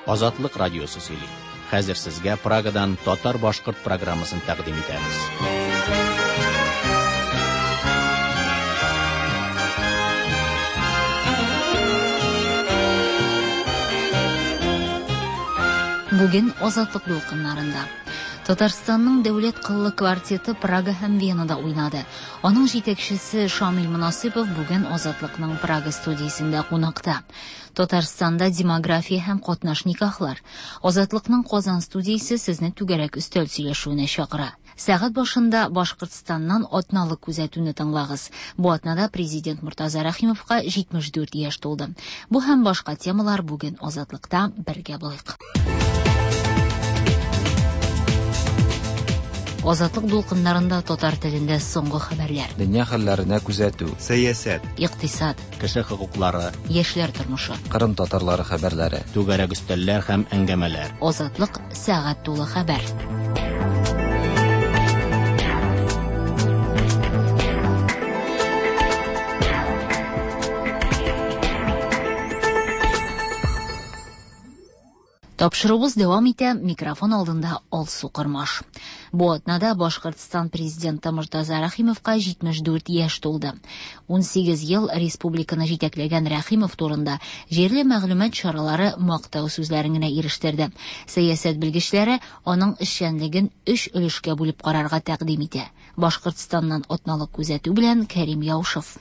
Азатлык радиосы сөйли. Хәзер сезгә Прагадан татар-башкорт программасын тәкъдим итәбез. Бүген Азатлык дулкыннарында Татарстанның дәүләт кыллы квартеты Прага һәм Венада уйнады. Аның җитәкчесе Шамил Монасыйпов бүген Азатлыкның Прага студиясендә кунакта. Татарстанда демография һәм катнаш никахлар. Азатлыкның Казан студиясе сезне түгәрәк өстәл сөйләшүенә чакыра. Сәгать башында Башкортстаннан атналык күзәтүне тыңлагыз. Бу атнада президент Мортаза Рәхимовка 74 яшь тулды. Бу һәм башка темалар бүген Азатлыкта бергә булыйк. Азатлык дулкыннарында татар телендә соңгы хәбәрләр. Дөнья хәлләренә күзәтү. Сәясәт. Икътисад. Кеше хокуклары. Яшьләр тормышы. Кырым татарлары хәбәрләре. Түгәрәк өстәлләр һәм әңгәмәләр. Азатлык сәгать тулы хәбәр. Тапшыруыбыз дәвам итә, микрофон алдында Алсу Кормаш. Бу атнада Башкортстан президенты Мортаза Рәхимовка 74 яшь тулды. 18 ел республиканы җитәкләгән Рәхимов турында җирле мәгълүмат чаралары мактау сүзләрен генә ирештерде. Сәясәт белгечләре аның эшчәнлеген өч өлешкә бүлеп карарга тәкъдим итә. Башкортстаннан атналык күзәтү белән Кәрим Яушев.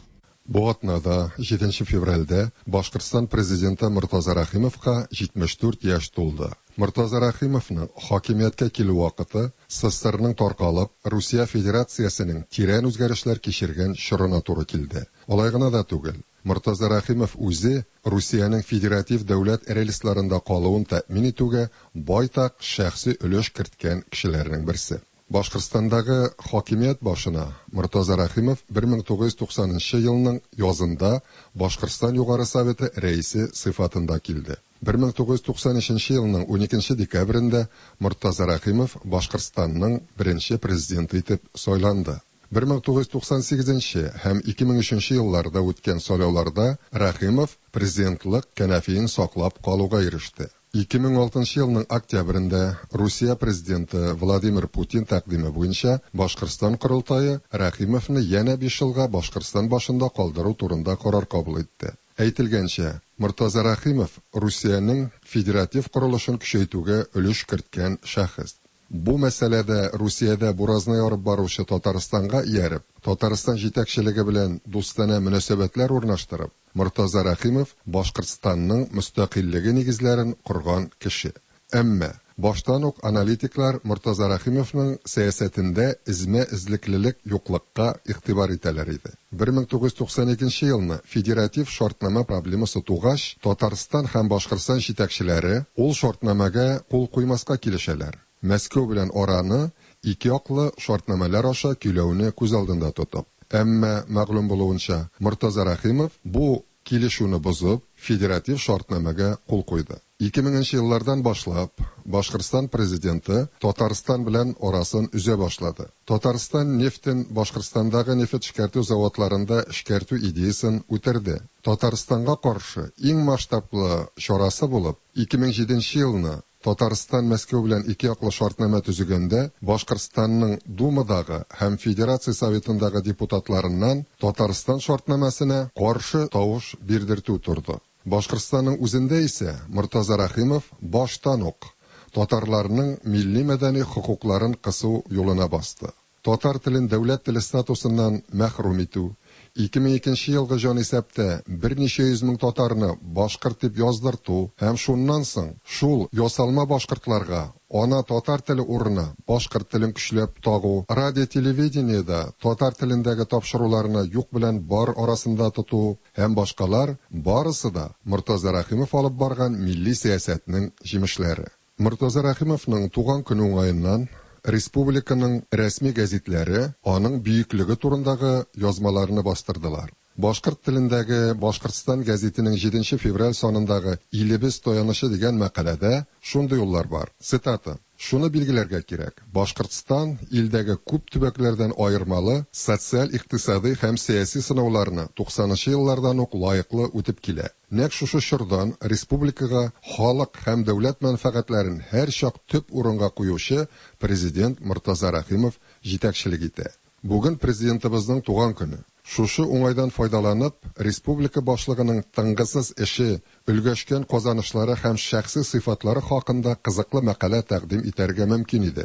Бу атнада, 7 февральдә, Башкортстан президенты Мортаза Рәхимовка 74 яшь тулды. Мортаза Рәхимовның хакимияткә килү вакыты СССРның таркалып, Русия Федерациясенең тирән үзгәрешләр кичергән чорына туры килде. Алай гына да түгел, Мортаза Рәхимов үзе Русиянең федератив дәүләт рельсларында калуын тәэмин итүгә байтак шәхси өлеш керткән кешеләрнең берсе. Башкортстандагы хакимият башына Мортаза Рәхимов 1990 елның язында Башкортстан Югары Советы рәисе сыйфатында килде. 1993 елның 12 декабрендә Мортаза Рәхимов Башкортстанның беренче президенты итеп сайланды. 1998 һәм 2003 елларда үткән сайлауларда Рәхимов президентлык кәнәфиен саклап калуга иреште. 2006 елның октябрендә Русия президенты Владимир Путин тәкъдиме буенча Башкортстан корылтае Рәхимовны янә 5 елга Башкортстан башында калдыру турында карар кабул итте. Әйтелгәнчә, Мортаза Рәхимов Русиянең федератив корылышын көчәйтүгә өлеш керткән шәхес. Бу мәсьәләдә Русиядә буразна ярып баручы Татарстанга ияреп, Татарстан җитәкчелеге белән дустанә мөнәсәбәтләр урнаштырып, Мортаза Рәхимов Башкортстанның мөстәкыйльлеге нигезләрен корган кеше. Әмма баштан ук аналитиклар Мортаза Рәхимовның сәясәтендә эзмә-эзлеклелек юклыкка игътибар итәләр иде. 1992 елны федератив шартнамә проблемасы тугач, Татарстан һәм Башкортстан җитәкчеләре ул шартнамәгә кул куймаска килешәләр. Мәскәү белән араны ике яклы шартнамәләр аша көйләүне күз алдында тотып. Әмма мәгълүм булуынча, Мортаза Рәхимов бу килешүне бозып, федератив шартнамәгә кул куйды. 2000 еллардан башлап, Башкортстан президенты Татарстан белән арасын өзә башлады. Татарстан нефтен Башкортстандагы нефть эшкәртү заводларында эшкәртү идеясын үтерде. Татарстанга каршы иң масштаблы чарасы булып, 2007 елны Татарстан Мәскәү белән ике яклы шартнамә төзегәндә Башкортстанның Думадагы һәм Федерация Советындагы депутатларыннан Татарстан шартнамәсенә каршы тавыш бирдертү торды. Башкортстанның үзендә исә Мортаза Рәхимов баштан ук татарларның милли мәдәни хокукларын кысу юлына басты. Татар телен дәүләт теле статусыннан мәхрүм итү, 2002 елгы җанисәптә берничә йөз мең татарны башкорт дип яздырту һәм шуннан соң шул ясалма башкортларга ана татар теле урынына башкорт телен көчләп тагу, радио-телевидениедә татар телендәге тапшыруларны юк белән бар арасында тоту һәм башкалар барысы да Мортаза Рәхимов алып барган милли сәясәтнең җимешләре. Мортаза Рәхимовның туган көне уңаеннан республиканың рәсми гәзитләре аның бөеклеге турындагы язмаларны бастырдылар. Башкорт телендәге Башкортстан гәзитенең 7 февраль санындагы Илебез таянычы дигән мәкаләдә шундый юллар бар. Цитата. Шуны билгеләргә кирәк, Башкортстан илдәге күп төбәкләрдән аермалы социаль-икътисадый һәм сәяси сынауларны туксанынчы еллардан ук лаеклы үтеп килә. Нәкъ шушы чордан республикага халык һәм дәүләт мәнфәгатьләрен һәрчак төп урынга куючы Президент Мортаза Рәхимов җитәкчелек итә. Бүген Президентыбызның туган көне. Шушы уңайдан файдаланып, республика башлыгының тынгысыз эше, өлгәшкән казанышлары һәм шәхси сыйфатлары хакында кызыклы мәкалә тәкъдим итәргә мөмкин иде.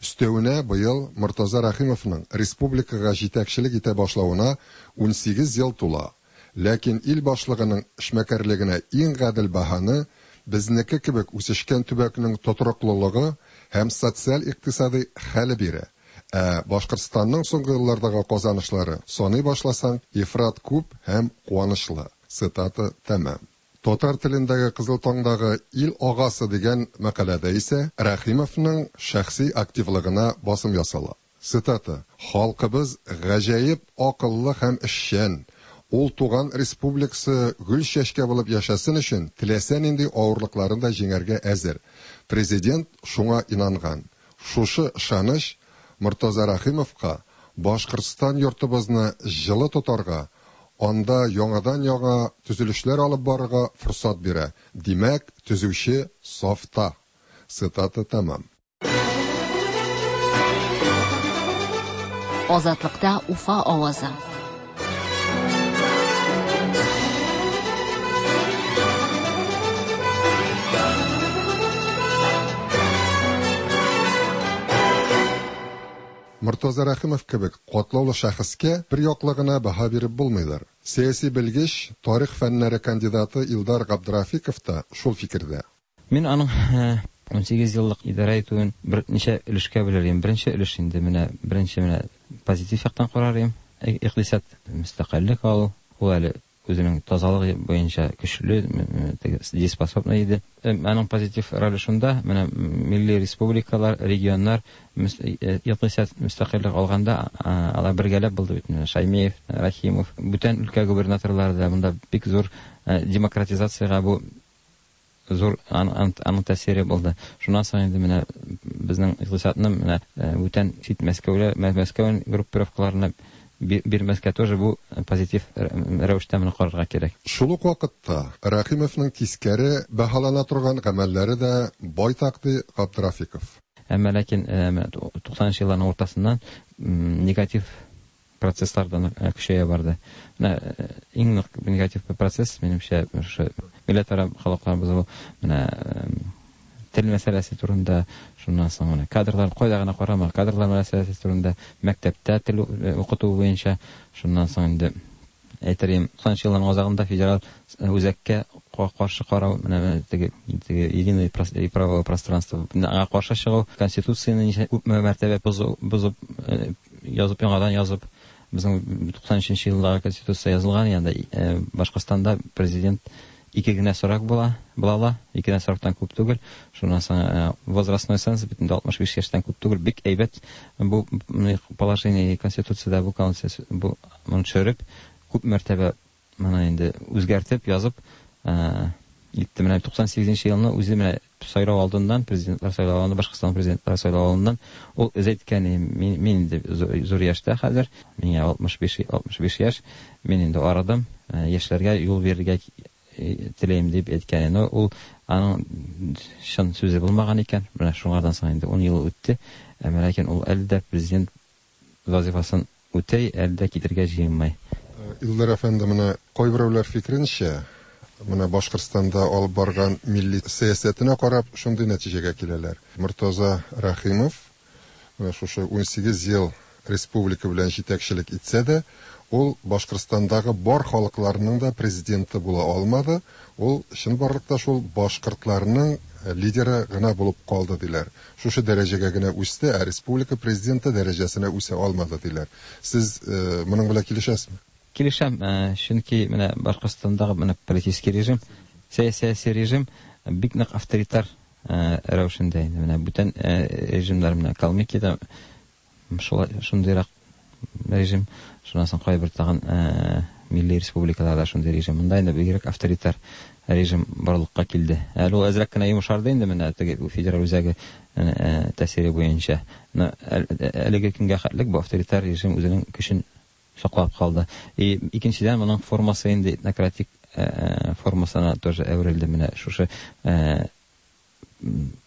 Өстәвенә, быел Мортаза Рәхимовның республикага җитәкчелек итә башлавына 18 ел тула. Ләкин ил башлыгының эшмәкәрлегенә иң гадел бәһаны безнеке кебек үсешкән төбәкнең тотрыклылыгы һәм социаль-икътисадый хәле бирә. Ә Башкортстанның соңгы еллардагы казанышлары, саный башласаң, ифрат күп һәм куанычлы. Цитата тәмам. Татар телендәге Кызыл таңдагы Ил агасы дигән мәкаләдә исә Рәхимовның шәхси активлыгына басым ясала. Цитата, Халкыбыз гаҗәеп акыллы һәм эшчән. Ул туган республикасы гөл-чәчкә булып яшәсен өчен теләсә нинди авырлыкларын да җиңәргә әзер. Президент шуңа инанган. Шушы ышаныч Мортаза Рәхимовка Башкортстан йортыбызны җылы тотарга, анда яңадан-яңа төзелешләр алып барырга форсат бирә. Димәк, төзүче сафта. Цитата тәмам. Азатлыкта Уфа авазы. Мортаза Рәхимов кебек катлаулы шәхескә бер яклы гына бәһа биреп булмыйдыр. Сәяси белгеч, тарих фәннәре кандидаты Илдар Габдрафиков та шул фикердә. Мин аның 18 еллык идарә итүен берничә өлешкә бүлер идем. Беренче өлеш инде менә беренче менә позитив яктан карар идем. Икътисад мөстәкыйльлек алу, ул әле үзенең тазалыгы буенча көчле, дееспособный иде. Аның позитив роле шунда, менә милли республикалар, регионнар икътисад мөстәкыйльлек алганда, алар бергәләп булды бит. Менә Шаймиев, Рәхимов, бүтән өлкә губернаторлары да монда бик зур демократизациягә бу зур аның тәэсире булды. Шуннан соң инде менә безнең икътисадны менә бүтән чит Мәскәүлә, Мәскәү группировкаларына бирмәскә тоже бу позитив рәвештә моны карарга кирәк. Шул ук вакытта Рәхимовның тискәре бәһалана торган гамәлләре дә байтак, ди Габдрафиков. Әмма ләкин 90 елларның уртасыннан негатив процесслар да көчәя барды. Менә иң нык негатив процесс, минемчә, шушы милләтара халыклар бозылу, менә тел мәсьәләсе турында, шуннан соң менә кадрлар, кайда гына карама, кадрлар мәсьәләсе турында, мәктәптә тел укыту буенча, шуннан соң инде әйтер идем, 90 елларның азагында федераль үзәккә каршы карау, менә теге единое правовое пространство, аңа каршы чыгу, конституцияне ничә күпме мәртәбә бозып, язып, яңадан язып, безнең 93 елдагы конституция язылган, янда Башкортстанда президент ике генә срок була, була, ике генә сроктан күп түгел. Шуннан соң возрастной ценз бит инде 65 яшьтән күп түгел, бик әйбәт бу положение конституцияда бу конституция бу моны төшереп, күп мәртәбә моны инде үзгәртеп язып итте. Менә 98 елны үзе менә сайлау алдыннан, президентлар сайлау алдыннан, Башкортстан президентлар сайлау алдыннан ул үзе әйткән, мин инде зур яшьтә хәзер, миңа 65 яшь, мин инде арыдым, яшьләргә юл бирергә теләйм дип әйткән. Но ул аның чын сүзе булмаган икән. Менә шуңардан соң инде 10 ел үтте. Әмма ләкин ул әле дә президент вазифасын үтәй, әле дә китергә җыенмый. Илдар әфәнде, менә кайберәүләр фикеренчә, менә Башкортстанда алып барган милли сәясәтенә карап шундый нәтиҗәгә киләләр. Мортаза Рәхимов менә шушы 18 ел республика белән җитәкчелек итсә дә, ул Башкортстандагы бар халыкларның да президенты була алмады. Ул чынбарлыкта шул башкортларның лидеры гына булып калды диләр. Шушы дәрәҗәгә генә үсте, ә республика президенты дәрәҗәсенә үсә алмады диләр. Сез моның белән килешәсезме? Килешәм, чөнки менә Башкортстандагы менә политический режим, сәяси режим бик нык авторитар рәвешендә инде. Менә бүтән режимнар, менә Калмыкиядә шундыйрак режим, шуннан соң кайбер тагын милли республикаларда шундый режим. Монда инде бигрәк авторитар режим барлыкка килде. Әле ул әзрәк кенә йомшарды инде менә теге федераль үзәге тәэсире буенча. Әлеге көнгә хәтлек бу авторитар режим үзенең көчен саклап калды. И икенчедән, моның формасы инде этнократик формасына тоже әверелде. Менә шушы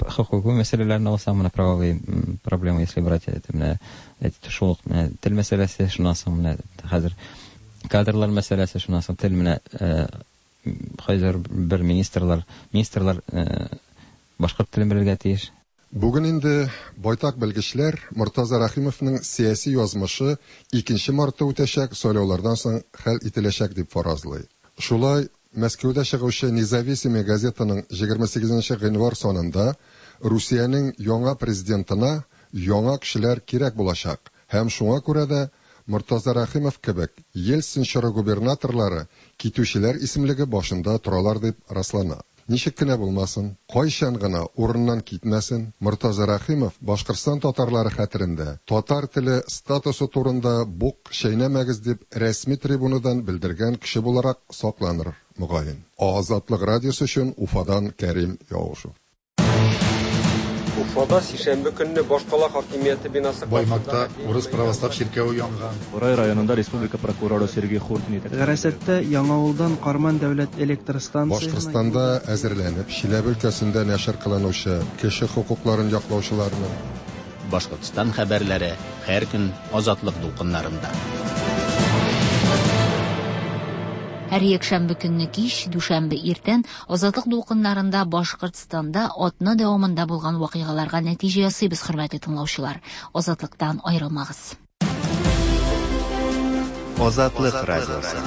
хокукый мәсьәләләрне алсаң, менә правовые проблемы, если брать, это менә шул ук тел мәсьәләсе, шуннан соң менә хәзер кадрлар мәсьәләсе, шуннан соң тел, менә хәзер бер министрлар башкорт телен белергә тиеш. Бүген инде байтак белгечләр Мортаза Рәхимовның сәяси язмышы 2 мартта үтәчәк сайлаулардан соң хәл ителәчәк дип фаразлый. Шулай, Мәскәүдә чыгучы Независимый газетаның 28 гыйнвар санында Русиянең яңа президентына яңа кешеләр кирәк булачак һәм шуңа күрә дә Мортаза Рәхимов кебек Ельцин чоры губернаторлары китүчеләр исемлеге башында торалар дип раслана. Ничек кенә булмасын, кайчан гына урыннан китмәсен, Мортаза Рәхимов Башкортстан татарлары хәтерендә татар теле статусы турында бук чәйнәмәгез дип рәсми трибунадан белдергән кеше буларак сакланыр, мөгаен. Азатлык радиосы өчен Уфадан Кәрим Яушев. Уфада сишәмбе көнне башкала хакимияте бинасы Баймакта урыс православ чиркәве янган. Бурай районында республика прокуроры Сергей Хуртин. Гарасәттә Яңавылдан Карман дәүләт электр станциясенә Башкортстанда әзерләнеп, Чиләбе өлкәсендә нәшер кылынучы кеше хокукларын яклаучыларның Башкортстан хәбәрләре һәр көн Азатлык дулкыннарында. Һәр якшәмбе көнне кич, дүшәмбе иртән Азатлык дулкыннарында Башкортстанда атна дәвамында булган вакыйгаларга нәтиҗә ясыйбыз, хөрмәтле тыңлаучылар. Азатлыктан аерылмагыз. Азатлык радиосы.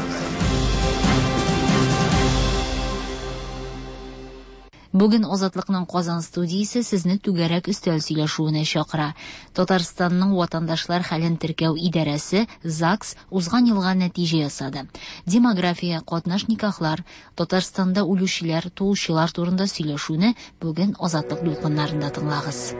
Бүген Азатлыкның Казан студиясе сезне түгәрәк өстәл сөйләшүенә чакыра. Татарстанның ватандашлар хәлен теркәү идарәсе ЗАГС узган елга нәтиҗә ясады. Демография, катнаш никахлар, Татарстанда үлүчеләр, туучылар турында сөйләшүне бүген Азатлык дулкыннарында тыңлагыз.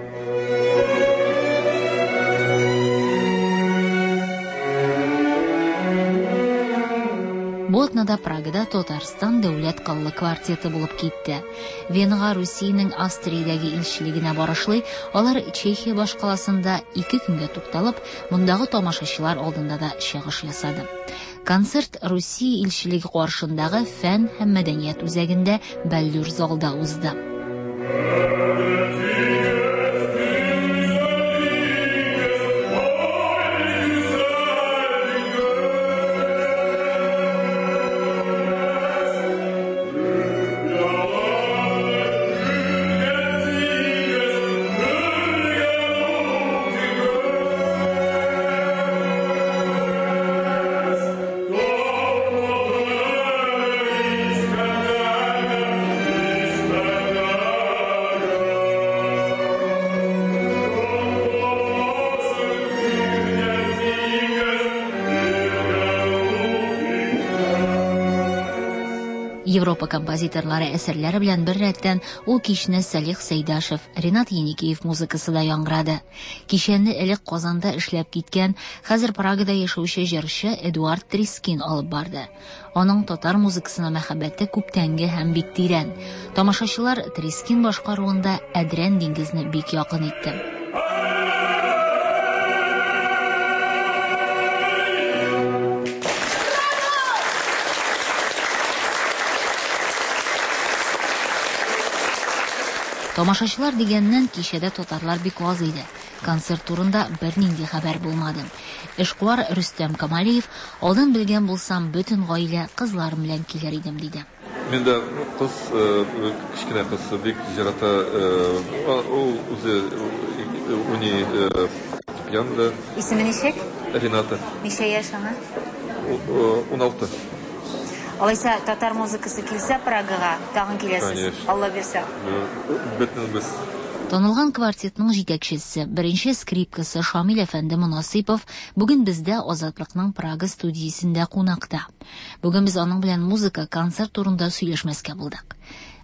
Бу атнада Прагада Татарстан дәүләт кыллы квартеты булып китте. Венага Русиянең Австриядәге илчелегенә барышлый, алар Чехия башкаласында 2 көнгә тукталып, мондагы тамашачылар алдында да чыгыш ясады. Концерт Русия илчелеге каршындагы фән һәм мәдәният үзәгендә бәллүр залда узды. Европа композиторлары әсәрләре белән бер рәттән ул кичне Салих Сәйдашев, Ренат Еникеев музыкасы да яңгырады. Кичәне элек Казанда эшләп киткән, хәзер Прагада яшәүче җырчы Эдуард Трискин алып барды. Аның татар музыкасына мәхәббәте күптәнге һәм бик тирән. Тамашачылар Трискин башкаруында Әдрән диңгезне бик якын итте. Тамашачылар дигәннән кичәдә татарлар бик аз иде. Концерт турында бернинди хәбәр булмады. Эшкуар Рөстәм Камалиев, алдан белгән булсам, бөтен гаилә кызларым белән килер идем, диде. Мин дә кыз, кечкенә кыз бик ярата, ул үзе уйный фортепианода. Исеме ничек? Рената. Ничә яшь аңа? 16. Алайса татар музыкасы килсә Прагага, тагын киләсез. Алла бирсә. Бөтенебез. Танылган квартетның җитәкчесе, беренче скрипкасы Шамил әфәнде Монасыйпов бүген бездә Азатлыкның Прага студиясендә кунакта. Бүген без аның белән музыка, концерт турында сөйләшмәскә булдык.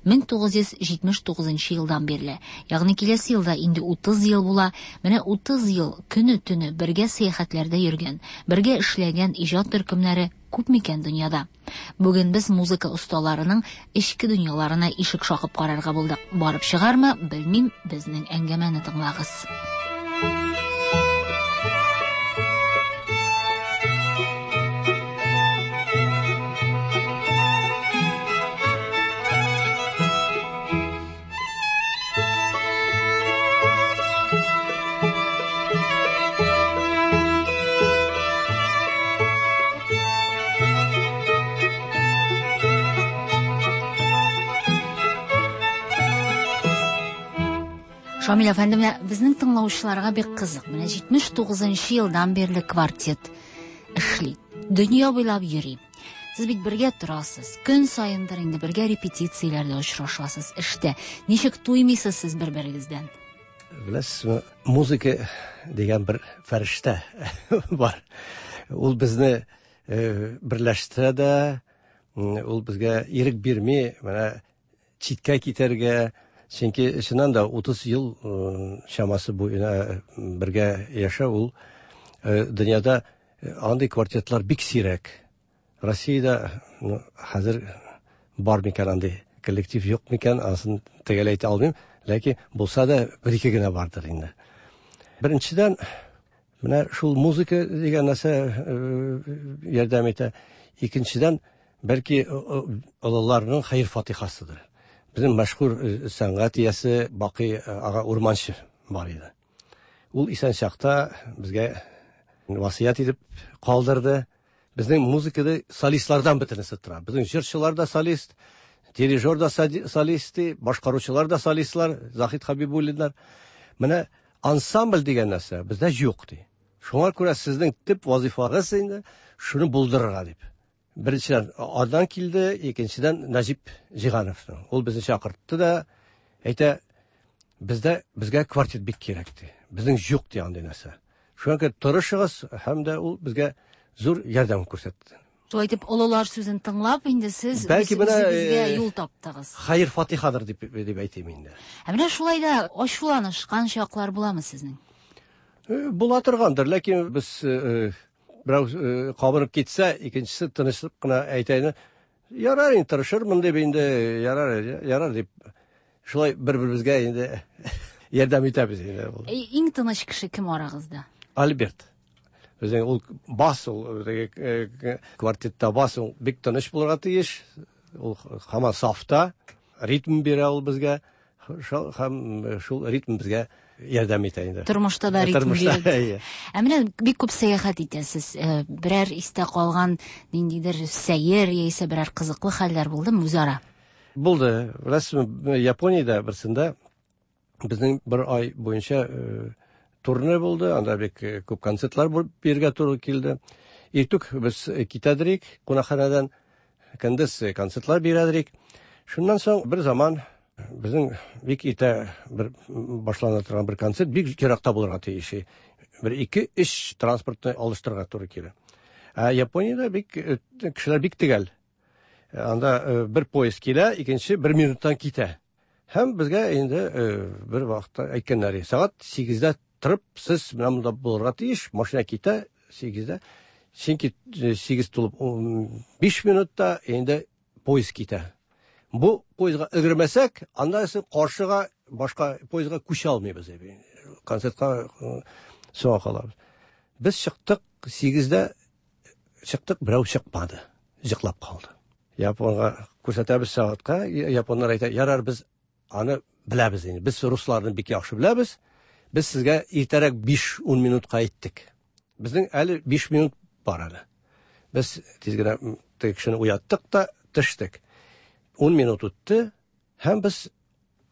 1979 елдан бирле. Ягъни киләсе елда инде 30 ел була. Менә 30 ел көне-төне бергә сәяхәтләрдә йөргән, бергә эшләгән иҗат төркемнәре күп микән дөньяда? Бүген без музыка осталарының эчке дөньяларына ишек шакып карарга булдык. Барып чыгармы, белмим, безнең әңгәмәне тыңлагыз. Шамил әфәнде, менә безнең тыңлаучыларга бик кызык. Менә 79 елдан бирле квартет эшли. Дөнья буйлап йөри. Сез бит бергә торасыз. Көн саендыр инде бергә репетицияләрдә очрашасыз, эштә. Ничек туймыйсыз сез бер-берегездән? Беләсезме, музыка дигән бер фәрештә бар. Ул безне берләштерә дә, ул безгә ирек бирми, менә читкә китәргә, чөнки чыннан да 30 ел чамасы буена бергә яшәү ул дөньяда андый квартетлар бик сирәк. Россиядә хәзер бар микән андый коллектив, юк микән, анысын төгәл әйтә алмыйм, ләкин булса да бер-ике генә бардыр инде. Беренчедән, менә шул музыка дигән нәрсә ярдәм итә. Икенчедән, бәлки олыларның хәер-фатихасыдыр. Безнең мәшһүр сәнгать иясе Бакый ага Урманчы бар иде. Ул исән чакта безгә васыять итеп калдырды. Безнең музыкада солистлардан бөтенесе тора. Безнең җырчылар да солист, дирижер да солист, башкаручылар да солистлар, Заһид Хабибуллиннар. Менә ансамбль дигән нәрсә бездә юк ди. Шуңа күрә сезнең төп вазифагыз инде шуны булдырырга дип. Беренчедән аннан килде, икенчедән Нәҗип Җиһановның. Ул безне чакыртты да әйтә, бездә безгә квартет бик кирәк ди. Безнең юк ди андый нәрсә. Шуңа күрә тырышыгыз, һәм дә ул безгә зур ярдәм күрсәтте. Шулай итеп, олылар сүзен тыңлап, инде сез Бәлки менә, үзегезгә юл таптыгыз. Хәер фатихадыр дип дип әйтим инде. Ә менә шулай да ачуланышкан чаклар буламы сезнең? Була торгандыр, ләкин без берәү кабынып китсә, икенчесе тынычлык кына әйтә инде, ярар инде, тырышырмын дип инде, ярар, ярар дип. Шулай бер-беребезгә инде ярдәм итәбез инде. Иң тыныч кеше кем арагызда? Альберт. Безнең ул бас, ул теге квартетта бас, ул бик тыныч булырга тиеш. Ул һаман сафта, ритм бирә ул безгә. Һәм шул ритм безгә ярдәм итә инде. Тормышта да ритм бирә. Ә менә бик күп сәяхәт итәсез. Берәр истә калган ниндидер сәер яисә берәр кызыклы хәлләр булдымы үзара? Булды. Беләсезме, Япониядә берсендә безнең бер ай буенча турне булды, анда бик күп концертлар бирергә туры килде. Иртүк без китәдерик кунакханәдән, көндез концертлар бирәдерик. Шуннан соң бер заман безнең бик иртә бер башлана торган бер концерт бик еракта булырга тиеш. Бер ике-өч транспортны алыштырырга туры килә. Ә Япониядә бик кешеләр бик төгәл. Анда бер поезд килә, икенче бер минуттан китә. Һәм безгә инде бер вакытта әйткәннәр, сәгать 8-дә торып, сез менә монда булырга тиеш, машина китә 8-дә. Чөнки 8 тулып 5 минутта инде поезд китә. Бу поездга өлгермәсәк, анда исә каршыга башка поездга күчә алмыйбыз. Концертка соңга калабыз. Без чыктык 8-дә чыктык, берәү чыкмады, йоклап калды. Японга күрсәтәбез сәгатькә, японнар әйтә, ярар, без аны беләбез инде. Без русларны бик яхшы беләбез. Без сезгә иртәрәк 5-10 минутка әйттек. Безнең әле 5 минут бар әле. Без тиз генә теге кешене уяттык та төштек. 10 минут үтте һәм без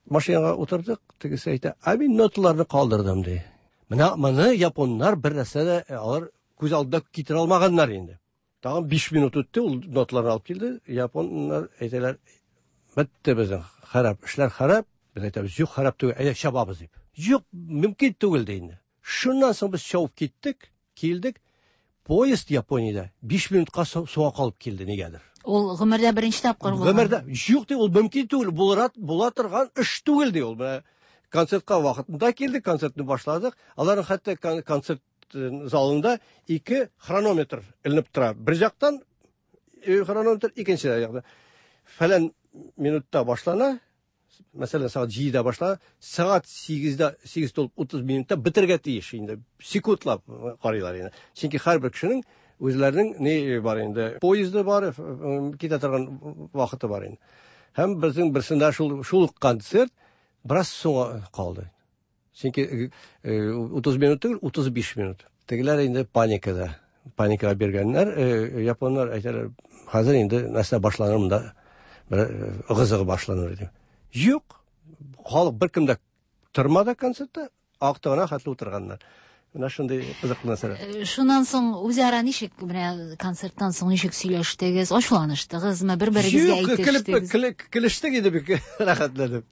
машинага утырдык. Тегесе әйтә, ә мин ноталарны калдырдым ди. Менә моны японнар бер нәрсә дә алар күз алдында китерә алмаганнар инде. Тагын 5 минут үтте, ул ноталарны алып килде. Японнар әйтәләр, бетте безнең харап, эшләр харап. Без әйтәбез, юк, харап түгел, әйдә чабабыз дип. Юк, мөмкин түгел ди инде. Шуннан соң без чабып киттек, килдек. Поезд Япониядә 5 минутка соңга калып килде нигәдер. Ул гомердә беренче тапкыр булган. Гомердә юк ди, ул мөмкин түгел, булырат була торган эш түгел ди ул. Менә концертка вакытында килдек, концертны башладык. Аларның хәтта концерт залында ике хронометр эленеп тора. Бер жактан хронометр, икенче жактан. Фәлән минутта башлана, мәсәлән, сәгать 7-дә башлана, сәгать 8-дә, 8 тулып 30 минутта бетергә тиеш инде. Секундлап карыйлар инде. Чөнки һәрбер кешенең үзләренең ни бар инде, поезды бар, китә торган вакыты бар инде. Һәм безнең берсендә шул шул концерт бераз соңга калды. Чөнки 30 минут түгел, 35 минут. Тегеләр инде паникада. Паникага биргәннәр, японнар әйтәләр, хәзер инде нәрсә башланыр монда, бер ыгы-зыгы башланыр дип. Юк, халык беркем дә тормады концертта, актыгына хәтле утырганнар. Менә шундый кызыклы нәрсәләр. Шуннан соң үзара ничек, менә концерттан соң ничек сөйләштегез, ачуланыштыгызмы, бер-берегезгә әйтештегез? Юк, көлештек инде бик рәхәтләнеп.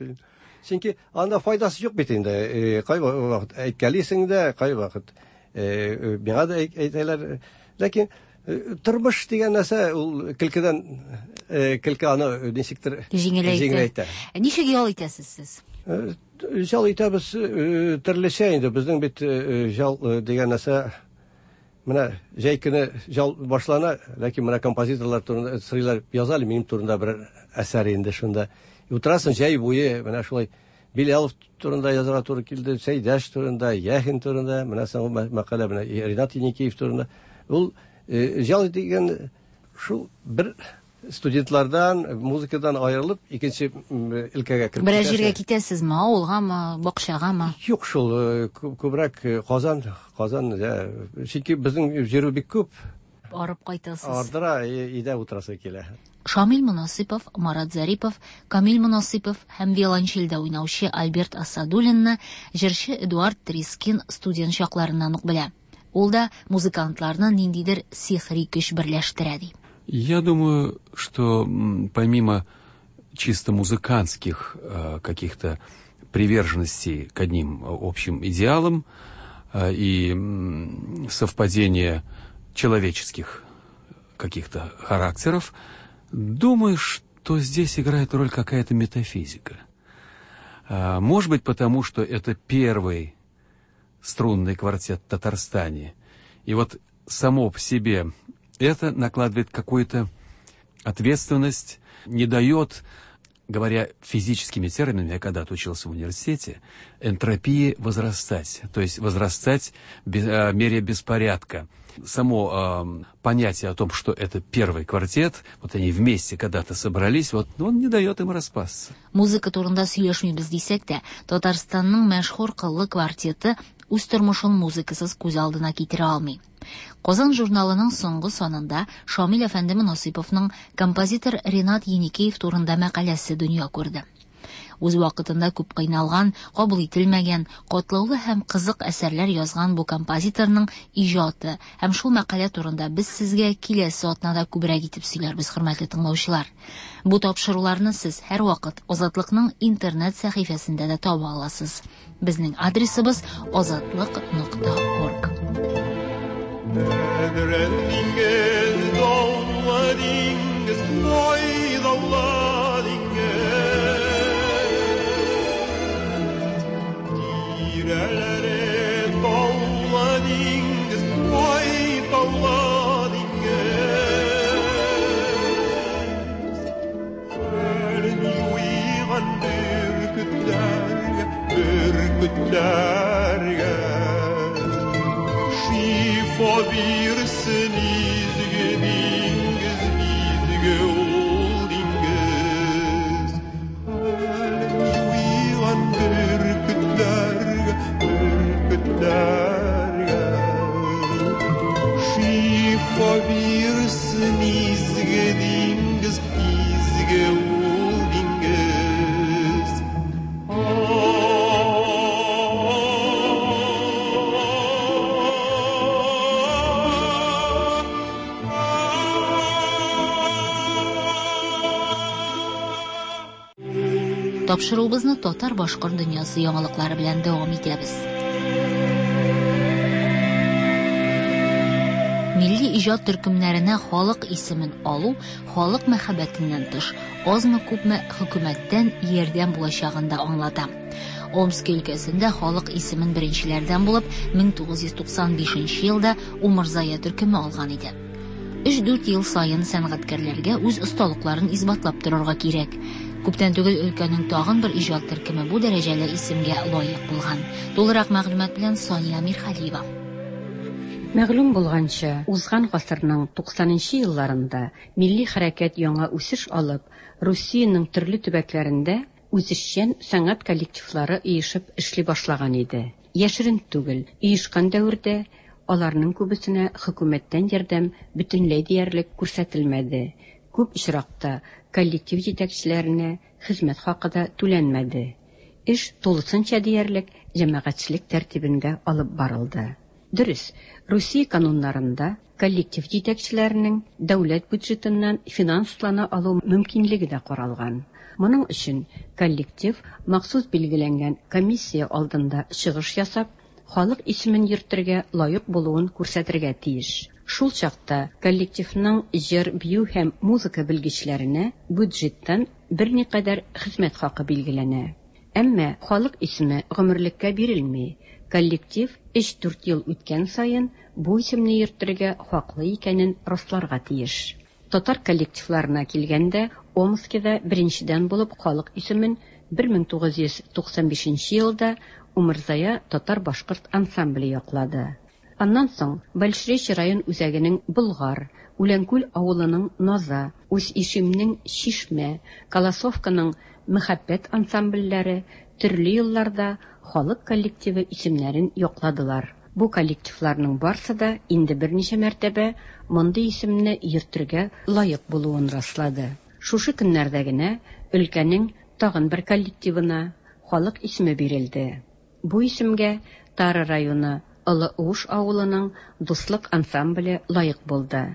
Чөнки анда файдасы юк бит инде. Кайвакыт әйткәлисең дә, кайвакыт миңа да әйтәләр. Ләкин тормыш дигән нәрсә ул көлкедән көлке аны ничектер җиңеләйтә. Ничек ял итәсез сез? Ял итәбез төрлечә инде. Безнең бит ял дигән нәрсә менә җәй көне ял башлана, ләкин менә композиторлар турында сорыйлар, яза әле минем турында бер әсәр инде шунда. Утырасың җәй буе, менә шулай Билялов турында язарга туры килде, Сәйдәш турында, Яхин турында, менә соңгы мәкалә менә Ринат Еникеев турында. Ул ял дигән шул бер студентлардан, музыкадан аерылып, икенче өлкәгә кереп. Берәр җиргә китәсезме, авылгамы, бакчагамы? Юк шул, күбрәк Казан, Казан, чөнки безнең җирү бик күп. Арып кайтасыз. Ардыра, өйдә утырасы килә. Шамил Монасыйпов, Марат Зарипов, Камил Монасыйпов һәм виолончельдә уйнаучы Альберт Асадуллинны җырчы Эдуард Трискин студент чакларыннан ук белә. Ул да музыкантларны ниндидер сихри көч берләштерә ди. Я думаю, что помимо чисто музыкантских каких-то приверженностей к одним общим идеалам и совпадения человеческих каких-то характеров, думаю, что здесь играет роль какая-то метафизика. Может быть, потому что это первый струнный квартет в Татарстане. И вот само по себе это накладывает какую-то ответственность, не дает, говоря физическими терминами, я когда-то учился в университете, энтропии возрастать, то есть возрастать в мере беспорядка. Само понятие о том, что это первый квартет, вот они вместе когда-то собрались, вот он не дает им распасться. Музыка турында сөйләшмибез дисәк тә, Татарстанның мәшһүр кыллы квартеты үз тормышын музыкасыз күз алдына китерә алмый. Казан журналының соңгы санында Шамил әфәнде Монасыйповның композитор Ринат Еникеев турында мәкаләсе дөнья күрде. Үз вакытында күп кыйналган, кабул ителмәгән, катлаулы һәм кызык әсәрләр язган бу композиторның иҗаты һәм шул мәкалә турында без сезгә киләсе атнада күбрәк итеп сөйләрбез, хөрмәтле тыңлаучылар. Бу тапшыруларны сез һәрвакыт Азатлыкның интернет сәхифәсендә дә таба аласыз. Безнең адресыбыз azatliq.org. Bürkütlerge şifa birsin izgi dingiz, izgi ol dingiz. Halen yuygan bürkütlerge, bürkütlerge şifa birsin izgi dingiz, izgi ol dingiz. Тапшыруыбызны татар-башкорт дөньясы яңалыклары белән дәвам итәбез. Милли Милли иҗат төркемнәренә халык исемен алу, халык мәхәббәтеннән тыш, азмы-күпме хөкүмәттән ярдәм булачагын да аңлата. Омски өлкәсендә халык исемен беренчеләрдән булып 1995 елда Умырзая төркеме алган иде. Өч-дүрт ел саен сәнгатькәрләргә үз осталыкларын исбатлап торырга кирәк. Күптән түгел өлкәнең тагын бер иҗат төркеме бу дәрәҗәле исемгә лаек булган. Тулырак мәгълүмат белән Сания Мирхалиева. Мәгълүм булганча, узган гасырның 90 нчы елларында милли хәрәкәт яңа үсеш алып, Русиянең төрле төбәкләрендә үзешчән сәнгать коллективлары оешып эшли башлаган иде. Яшерен түгел, оешкан дәвердә аларның күбесенә хөкүмәттән ярдәм бөтенләй диярлек күрсәтелмәде, күп очракта коллектив җитәкчеләренә хезмәт хакы да түләнмәде. Эш тулысынча диярлек җәмәгатьчелек тәртибендә алып барылды. Дөрес, Русия кануннарында коллектив җитәкчеләренең дәүләт бюджетыннан финанслана алу мөмкинлеге дә каралган. Моның өчен коллектив махсус билгеләнгән комиссия алдында чыгыш ясап, халык исемен йөртергә лаек булуын күрсәтергә тиеш. Шул чакта коллективның җыр, бию һәм музыка белгечләренә бюджеттан берникадәр хезмәт хакы билгеләнә. Әмма халык исеме гомерлеккә бирелми, коллектив өч-дүрт ел үткән саен бу исемне йөртергә хаклы икәнен расларга тиеш. Татар коллективларына килгәндә, Омскида беренчедән булып халык исемен 1995 елда Умырзая татар-башкорт ансамбле яклады. Аннан соң Большеречье район үзәгенең Болгар, Үләнкүл авылының Наза, Усть-Ишимнең Чишмә, Колосовканың Мәхәббәт ансамбльләре төрле елларда халык коллективы исемнәрен якладылар. Бу коллективларның барсы да инде берничә мәртәбә мондый исемне йөртергә лаек булуын раслады. Шушы көннәрдә генә өлкәнең тагын бер коллективына халык исеме бирелде. Бу исемгә Тара районы Олы Уыш авылының Дуслык ансамбле лаек булды.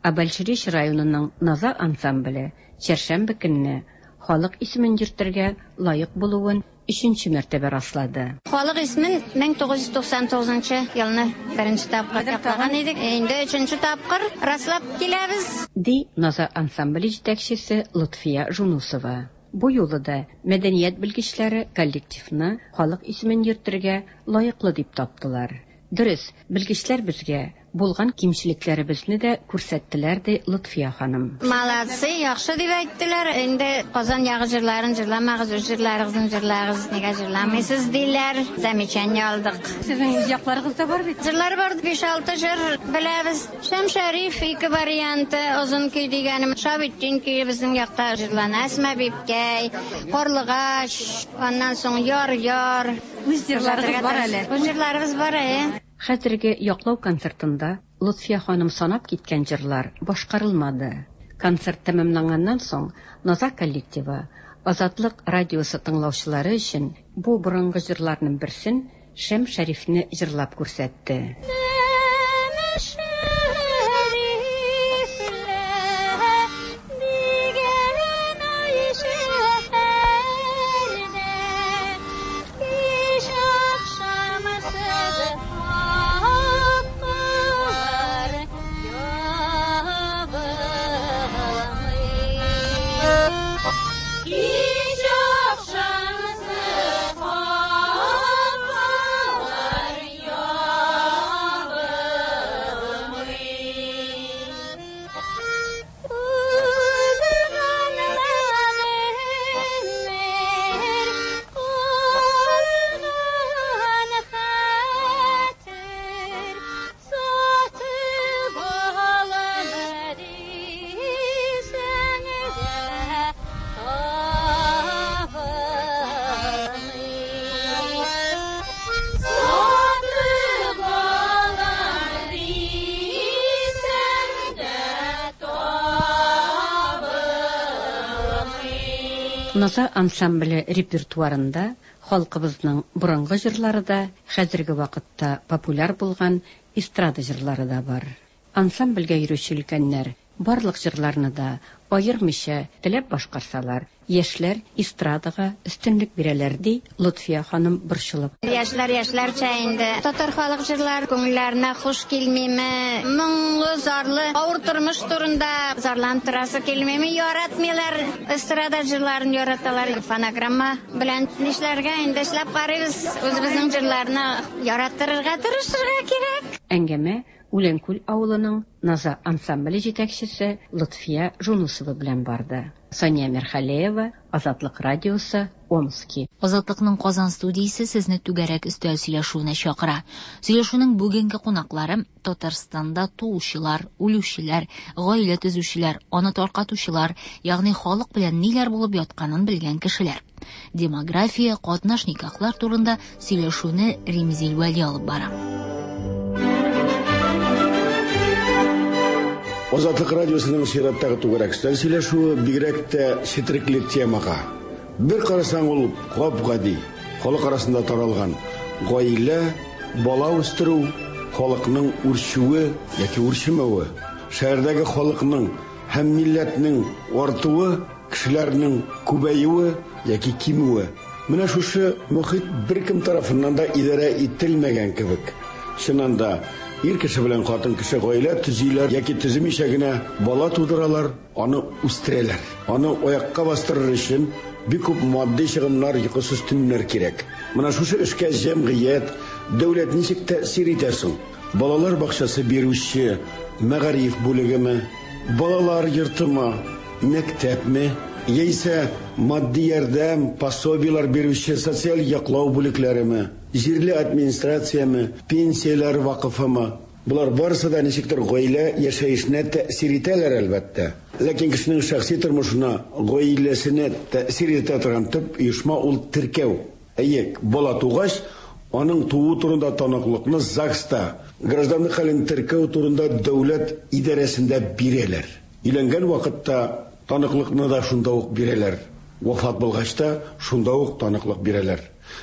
Ә Большеречье районының Наза ансамбле чәршәмбе көнне халык исемен йөртергә лаек булуын өченче мәртәбә раслады. Халык исемен 1999 елны беренче тапкыр яклаган идек. Инде өченче тапкыр раслап киләбез. Ди Наза ансамбле җитәкчесе Лотфия Жунусова. Бу юлы да мәдәният белгечләре коллективны халык исемен йөртергә лаеклы дип таптылар. Дөрес, белгечләр безгә булган кимчелекләребезне дә күрсәттеләр, ди Лотфия ханым. Молодцы, яхшы дип әйттеләр. Инде Казан ягы җырларын җырламагыз, үз җырларыгызны җырлагыз, нигә җырламыйсыз диләр. Замечание алдык. Сезнең үз якларыгыз да бар бит. Җырлар бар, 5-6 җыр беләбез. Шәмшәриф ике варианты, озын көй дигәнем, Шабитдин көе безнең якта җырлана, Әсма бибкәй, Карлыгач, аннан соң Яр-яр. Үз җырларыгыз бар әле. Үз җырларыбыз бар, әйе. Хәзерге яклау концертында Лотфия ханым санап киткән җырлар башкарылмады. Концерт тәмамланганнан соң Наза коллективы Азатлык радиосы тыңлаучылары өчен бу борынгы җырларның берсен Шәм Шәрифне җырлап күрсәтте. Наза ансамбле репертуарында халкыбызның борынгы җырлары да, хәзерге вакытта популяр булган эстрада җырлары да бар. Ансамбльгә йөрүче өлкәннәр барлык җырларны да аермыйча теләп башкарсалар, Яшьләр эстрадага өстенлек бирәләр, ди Лотфия ханым борчылып. Яшьләр яшьләрчә инде. Татар халык җырлары күңелләренә хуш килмиме? Моңлы, зарлы, авыр тормыш турында зарланып торасы килмиме? Яратмыйлар. Эстрада җырларын яраталар. Фонограмма белән нишләргә инде, эшләп карыйбыз. Үзебезнең җырларны яраттырырга тырышырга кирәк. Әңгәмә Үләнкүл авылының Наза ансамбле җитәкчесе Лотфия Жунусова белән барды. Сания Мирхалеева, Азатлык радиосы, Омски. Азатлыкның Казан студиясе сезне түгәрәк өстәл сөйләшүенә чакыра. Сөйләшүнең бүгенге кунаклары Татарстанда туучылар, үлүчеләр, гаилә төзүчеләр, аны таркатучылар, ягъни халык белән ниләр булып ятканын белгән кешеләр. Демография, катнаш никахлар турында сөйләшүне Римзил Вәли алып бара. Азатлык радиосының чираттагы түгәрәк өстәл сөйләшүе бигрәк тә четерекле темага. Бер карасаң, ул гап-гади, халык арасында таралган гаилә, бала үстерү, халыкның үрчүе яки үрчемәве, шәһәрдәге халыкның һәм милләтнең артуы, кешеләрнең күбәюе яки кимүе. Менә шушы мохит беркем тарафыннан да идарә ителмәгән кебек. Чыннан да, ир кеше белән хатын кеше гаилә төзиләр яки төземичә генә бала тудыралар, аны үстерәләр. Аны аякка бастырыр өчен бик күп матди чыгымнар, йокысыз төннәр кирәк. Менә шушы эшкә җәмгыять, дәүләт ничек тәэсир итә соң? Балалар бакчасы бирүче мәгариф бүлегеме, балалар йортымы, мәктәпме, яисә матди ярдәм, пособиеләр бирүче социаль яклау бүлекләреме, җирле администрацияме, пенсияләр вакыфымы? Болар барысы да ничектер гаилә яшәешенә тәэсир итәләр, әлбәттә. Ләкин кешенең шәхси тормышына, гаиләсенә тәэсир итә торган төп оешма ул теркәү. Әйе, бала тугач, аның тууы турында таныклыкны ЗАГСта, гражданлык хәлен теркәү турында дәүләт идарәсендә бирәләр. Өйләнгән вакытта таныклыкны да шунда ук бирәләр. Вафат булгач та шунда ук таныклык бирәләр.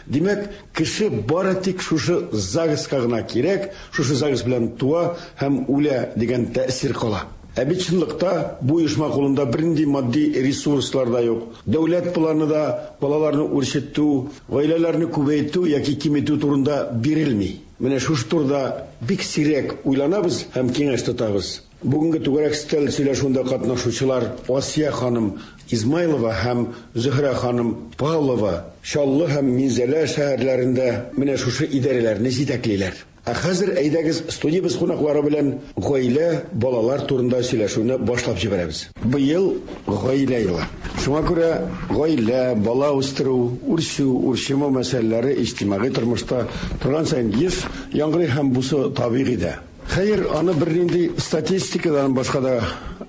Димәк, кеше бары тик шушы ЗАГСка гына кирәк, шушы ЗАГС белән туа һәм үлә дигән тәэсир кала. Ә бит чынлыкта бу оешма кулында бернинди матди ресурслар да юк. Дәүләт планы да балаларны үрчетү, гаиләләрне күбәйтү яки киметү турында бирелми. Менә шушы турыда бик сирәк уйланабыз һәм киңәш тотабыз. Бүгенге түгәрәк өстәл сөйләшүендә катнашучылар Асия ханым Измайлова һәм Зөһрә ханым Павлова Чаллы һәм Минзәлә шәһәрләрендә менә шушы идарәләрне җитәклиләр. Ә хәзер әйдәгез студиябез кунаклары белән гаилә, балалар турында сөйләшүне башлап җибәрәбез. Быел гаилә елы. Шуңа күрә гаилә, бала үстерү, үрчү, үрчемәү мәсьәләләре иҗтимагый тормышта торган саен еш яңгырый һәм бусы табигый дә. Хәер, аны бернинди статистикадан башка да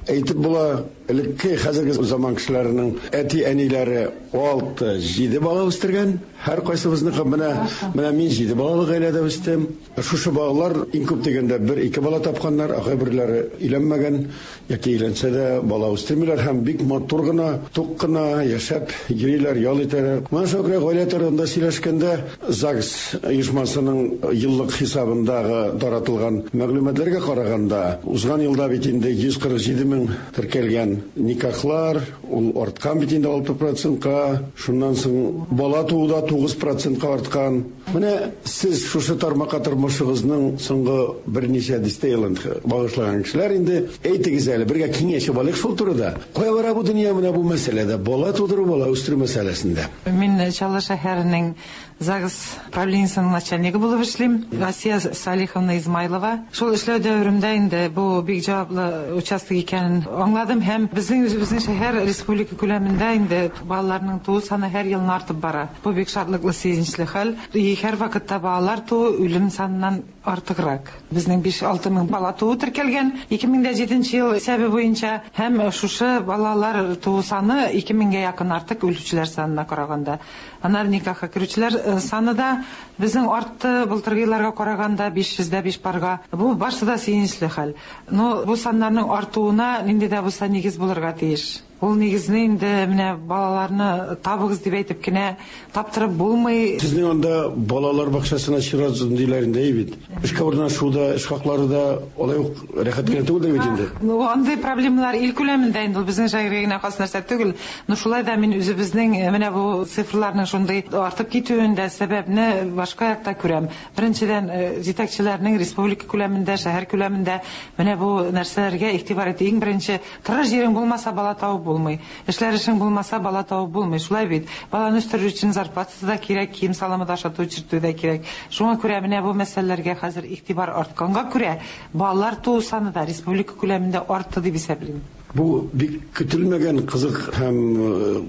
әйтеп була. Элекке, хәзерге заман кешеләренең әти-әниләре алты, җиде бала үстергән. Һәркайсыбызныкы менә, менә мин җиде балалы гаиләдә үстем. Шушы балалар иң күп дигәндә бер-ике бала тапканнар, ә кайберләре өйләнмәгән яки өйләнсә дә бала үстермиләр һәм бик матур гына, тук кына яшәп йөриләр, ял итәләр. Менә шуңа күрә гаилә турында сөйләшкәндә ЗАГС оешмасының еллык хисабындагы таратылган мәгълүматларга караганда, узган елда бит инде 147 мең теркәлгән никахлар, ул арткан бит инде 6 процентка, шуннан соң бала туу да 9 процентка арткан. Менә сез шушы тармакка тормышыгызның соңгы берничә дистә елын багышлаган кешеләр инде, әйтегез әле, бергә киңәшеп алыйк шул турыда. Кая бара бу дөнья менә бу мәсьәләдә, бала тудыру, бала үстерү мәсьәләсендә? Мин Чаллы шәһәренең ЗАГС правлениесенең начальнигы булып эшлим. Асия Салиховна Измайлова. Шул эшләү дәверемдә инде бу бик җаваплы участок икәнен аңладым һәм безнең үзебезнең шәһәр республика күләмендә инде балаларның туу саны һәр елны артып бара. Бу бик шатлыклы, сөенечле хәл. И һәр вакытта балалар туу үлем саныннан артыграк. Безнең биш-алты мең бала туу теркәлгән 2007 ел исәбе буенча һәм шушы балалар туу саны ике меңгә якын артык үлүчеләр санына караганда. Аннары никахка керүчеләр саны да безнең артты былтыргы елларга караганда 505 парга. Бу барысы да сөенечле хәл. Но бу саннарның артуына нинди дә булса нигез булырга тиеш. Ул нигезне инде менә балаларны табыгыз дип әйтеп кенә таптырып булмый. Сезнең анда балалар бакчасына чират озын диләр инде, әй бит. Эшкә урнашу да, эш хаклары да алай ук рәхәт кенә түгелдер бит инде. Ну, андый проблемалар ил күләмендә инде ул безнең шәһәргә генә хас нәрсә түгел. Но шулай да мин үзебезнең менә бу цифрларның шундый артып китүендә сәбәпне башка якта күрәм. Беренчедән, җитәкчеләрнең республика күләмендә, шәһәр күләмендә менә бу нәрсәләргә игътибар итү. Иң беренче, тырыш җирең булмаса, бала табып булмый. Эшләр эшең булмаса, бала табып булмый. Шулай бит. Баланы үстерер өчен зарплатасы да кирәк, кием-салымы да ашату, эчертү дә кирәк. Шуңа күрә менә бу мәсьәләләргә хәзер игътибар артканга күрә, балалар туу саны да республика күләмендә артты дип исәплим. Бу бик көтелмәгән кызык һәм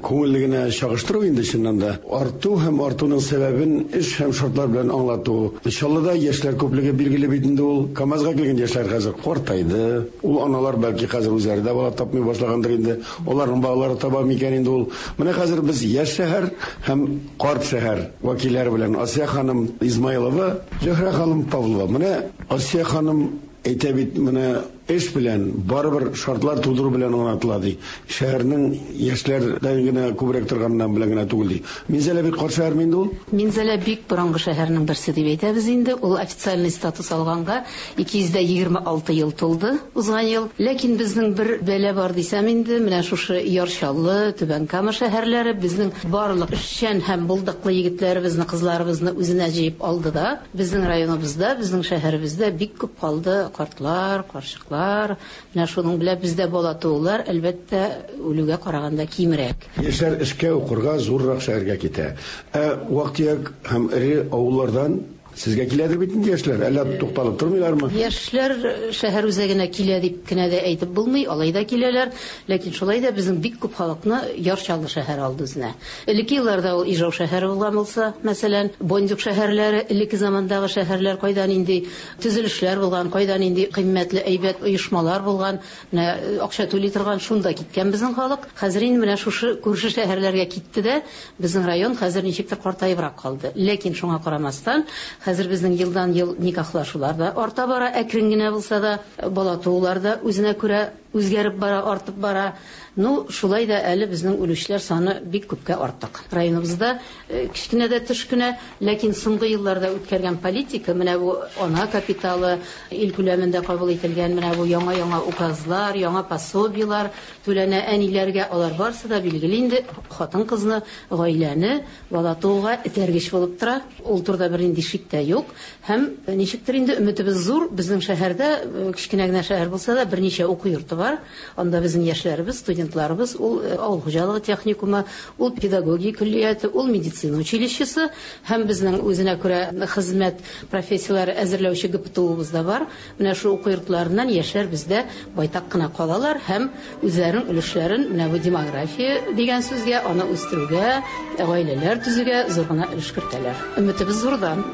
күңелле генә чагыштыру инде чыннан да. Арту һәм артуның сәбәбен эш һәм шартлар белән аңлату. Чаллыда яшьләр күплеге билгеле бит инде ул. КАМАЗга килгән яшьләр хәзер картайды. Ул аналар бәлки хәзер үзләре дә бала тапмый башлагандыр инде. Аларның балалары таба микән инде ул. Менә хәзер без яшь шәһәр һәм карт шәһәр вәкилләре белән Асия ханым Измайлова, Зөһрә ханым Павлова. Менә Асия ханым әйтә бит, менә эш белән, барыбер шартлар тудыру белән аңлатыла, ди. Шәһәрнең яшьләрдән генә күбрәк торганнан белән генә түгел, ди. Минзәлә бик карт шәһәрме инде ул? Минзәлә бик борынгы шәһәрнең берсе дип әйтәбез инде. Ул официальный статус алганга 226 ел тулды узган ел. Ләкин безнең бер бәла бар дисәм инде, менә шушы Яр Чаллы, Түбән Кама шәһәрләре безнең барлык эшчән һәм булдыклы егетләребезне, кызларыбызны үзенә җыеп алды да, Безнең районыбызда, безнең шәһәребездә бик күп калды картлар, карчыклар. Менә шуның белән бездә бала туулар, әлбәттә, үлүгә караганда кимрәк. Яшьләр эшкә, укырга зуррак шәһәргә китә. Ә вак-төяк һәм эре авыллардан сезгә киләдер бит инде яшьләр, әллә тукталып тормыйлармы? Яшьләр шәһәр үзәгенә килә дип кенә дә әйтеп булмый, алай да киләләр. Ләкин шулай да безнең бик күп халыкны Яр Чаллы шәһәре алды үзенә. Элекке елларда ул Ижау шәһәре булган булса, мәсәлән, Бондюг шәһәрләре, элекке замандагы шәһәрләр, кайда нинди төзелешләр булган, кайда нинди кыйммәтле әйбәт оешмалар булган, менә акча түли торган, шунда киткән безнең халык. Хәзер инде менә шушы күрше шәһәрләргә китте дә, безнең район хәзер ничектер картаебрак калды. Ләкин шуңа карамастан, хәзер безнең елдан-ел никахлашулар да арта бара, әкрен генә булса да, бала туулар да үзенә күрә үзгәреп бара, артып бара. Ну, шулай да әле безнең үлүчеләр саны бик күпкә артык. Районыбызда кечкенә дә төш кенә, ләкин соңгы елларда үткәргән политика, менә бу ана капиталы, ил күләмендә кабул ителгән менә бу яңа-яңа указлар, яңа пособиелар түләнә әниләргә, алар барысы да билгеле инде хатын-кызны, гаиләне бала тууга этәргеч булып тора. Ул турыда бернинди шик тә юк. Һәм ничектер инде өметебез зур, безнең шәһәрдә, кечкенә генә шәһәр булса да, берничә уку йорты бар. Анда безнең яшьләребез, студентларыбыз, ул авыл хуҗалыгы техникумы, ул педагогия көллияте, ул медицина училищесы һәм безнең үзенә күрә хезмәт профессияләре әзерләүче ГПТУыбыз да бар. Менә шул уку йортларыннан яшьләр бездә байтак кына калалар һәм үзләренең өлешләрен менә бу демография дигән сүзгә, аны үстерүгә, гаиләләр төзүгә зур гына өлеш кертәләр. Өметебез зурдан.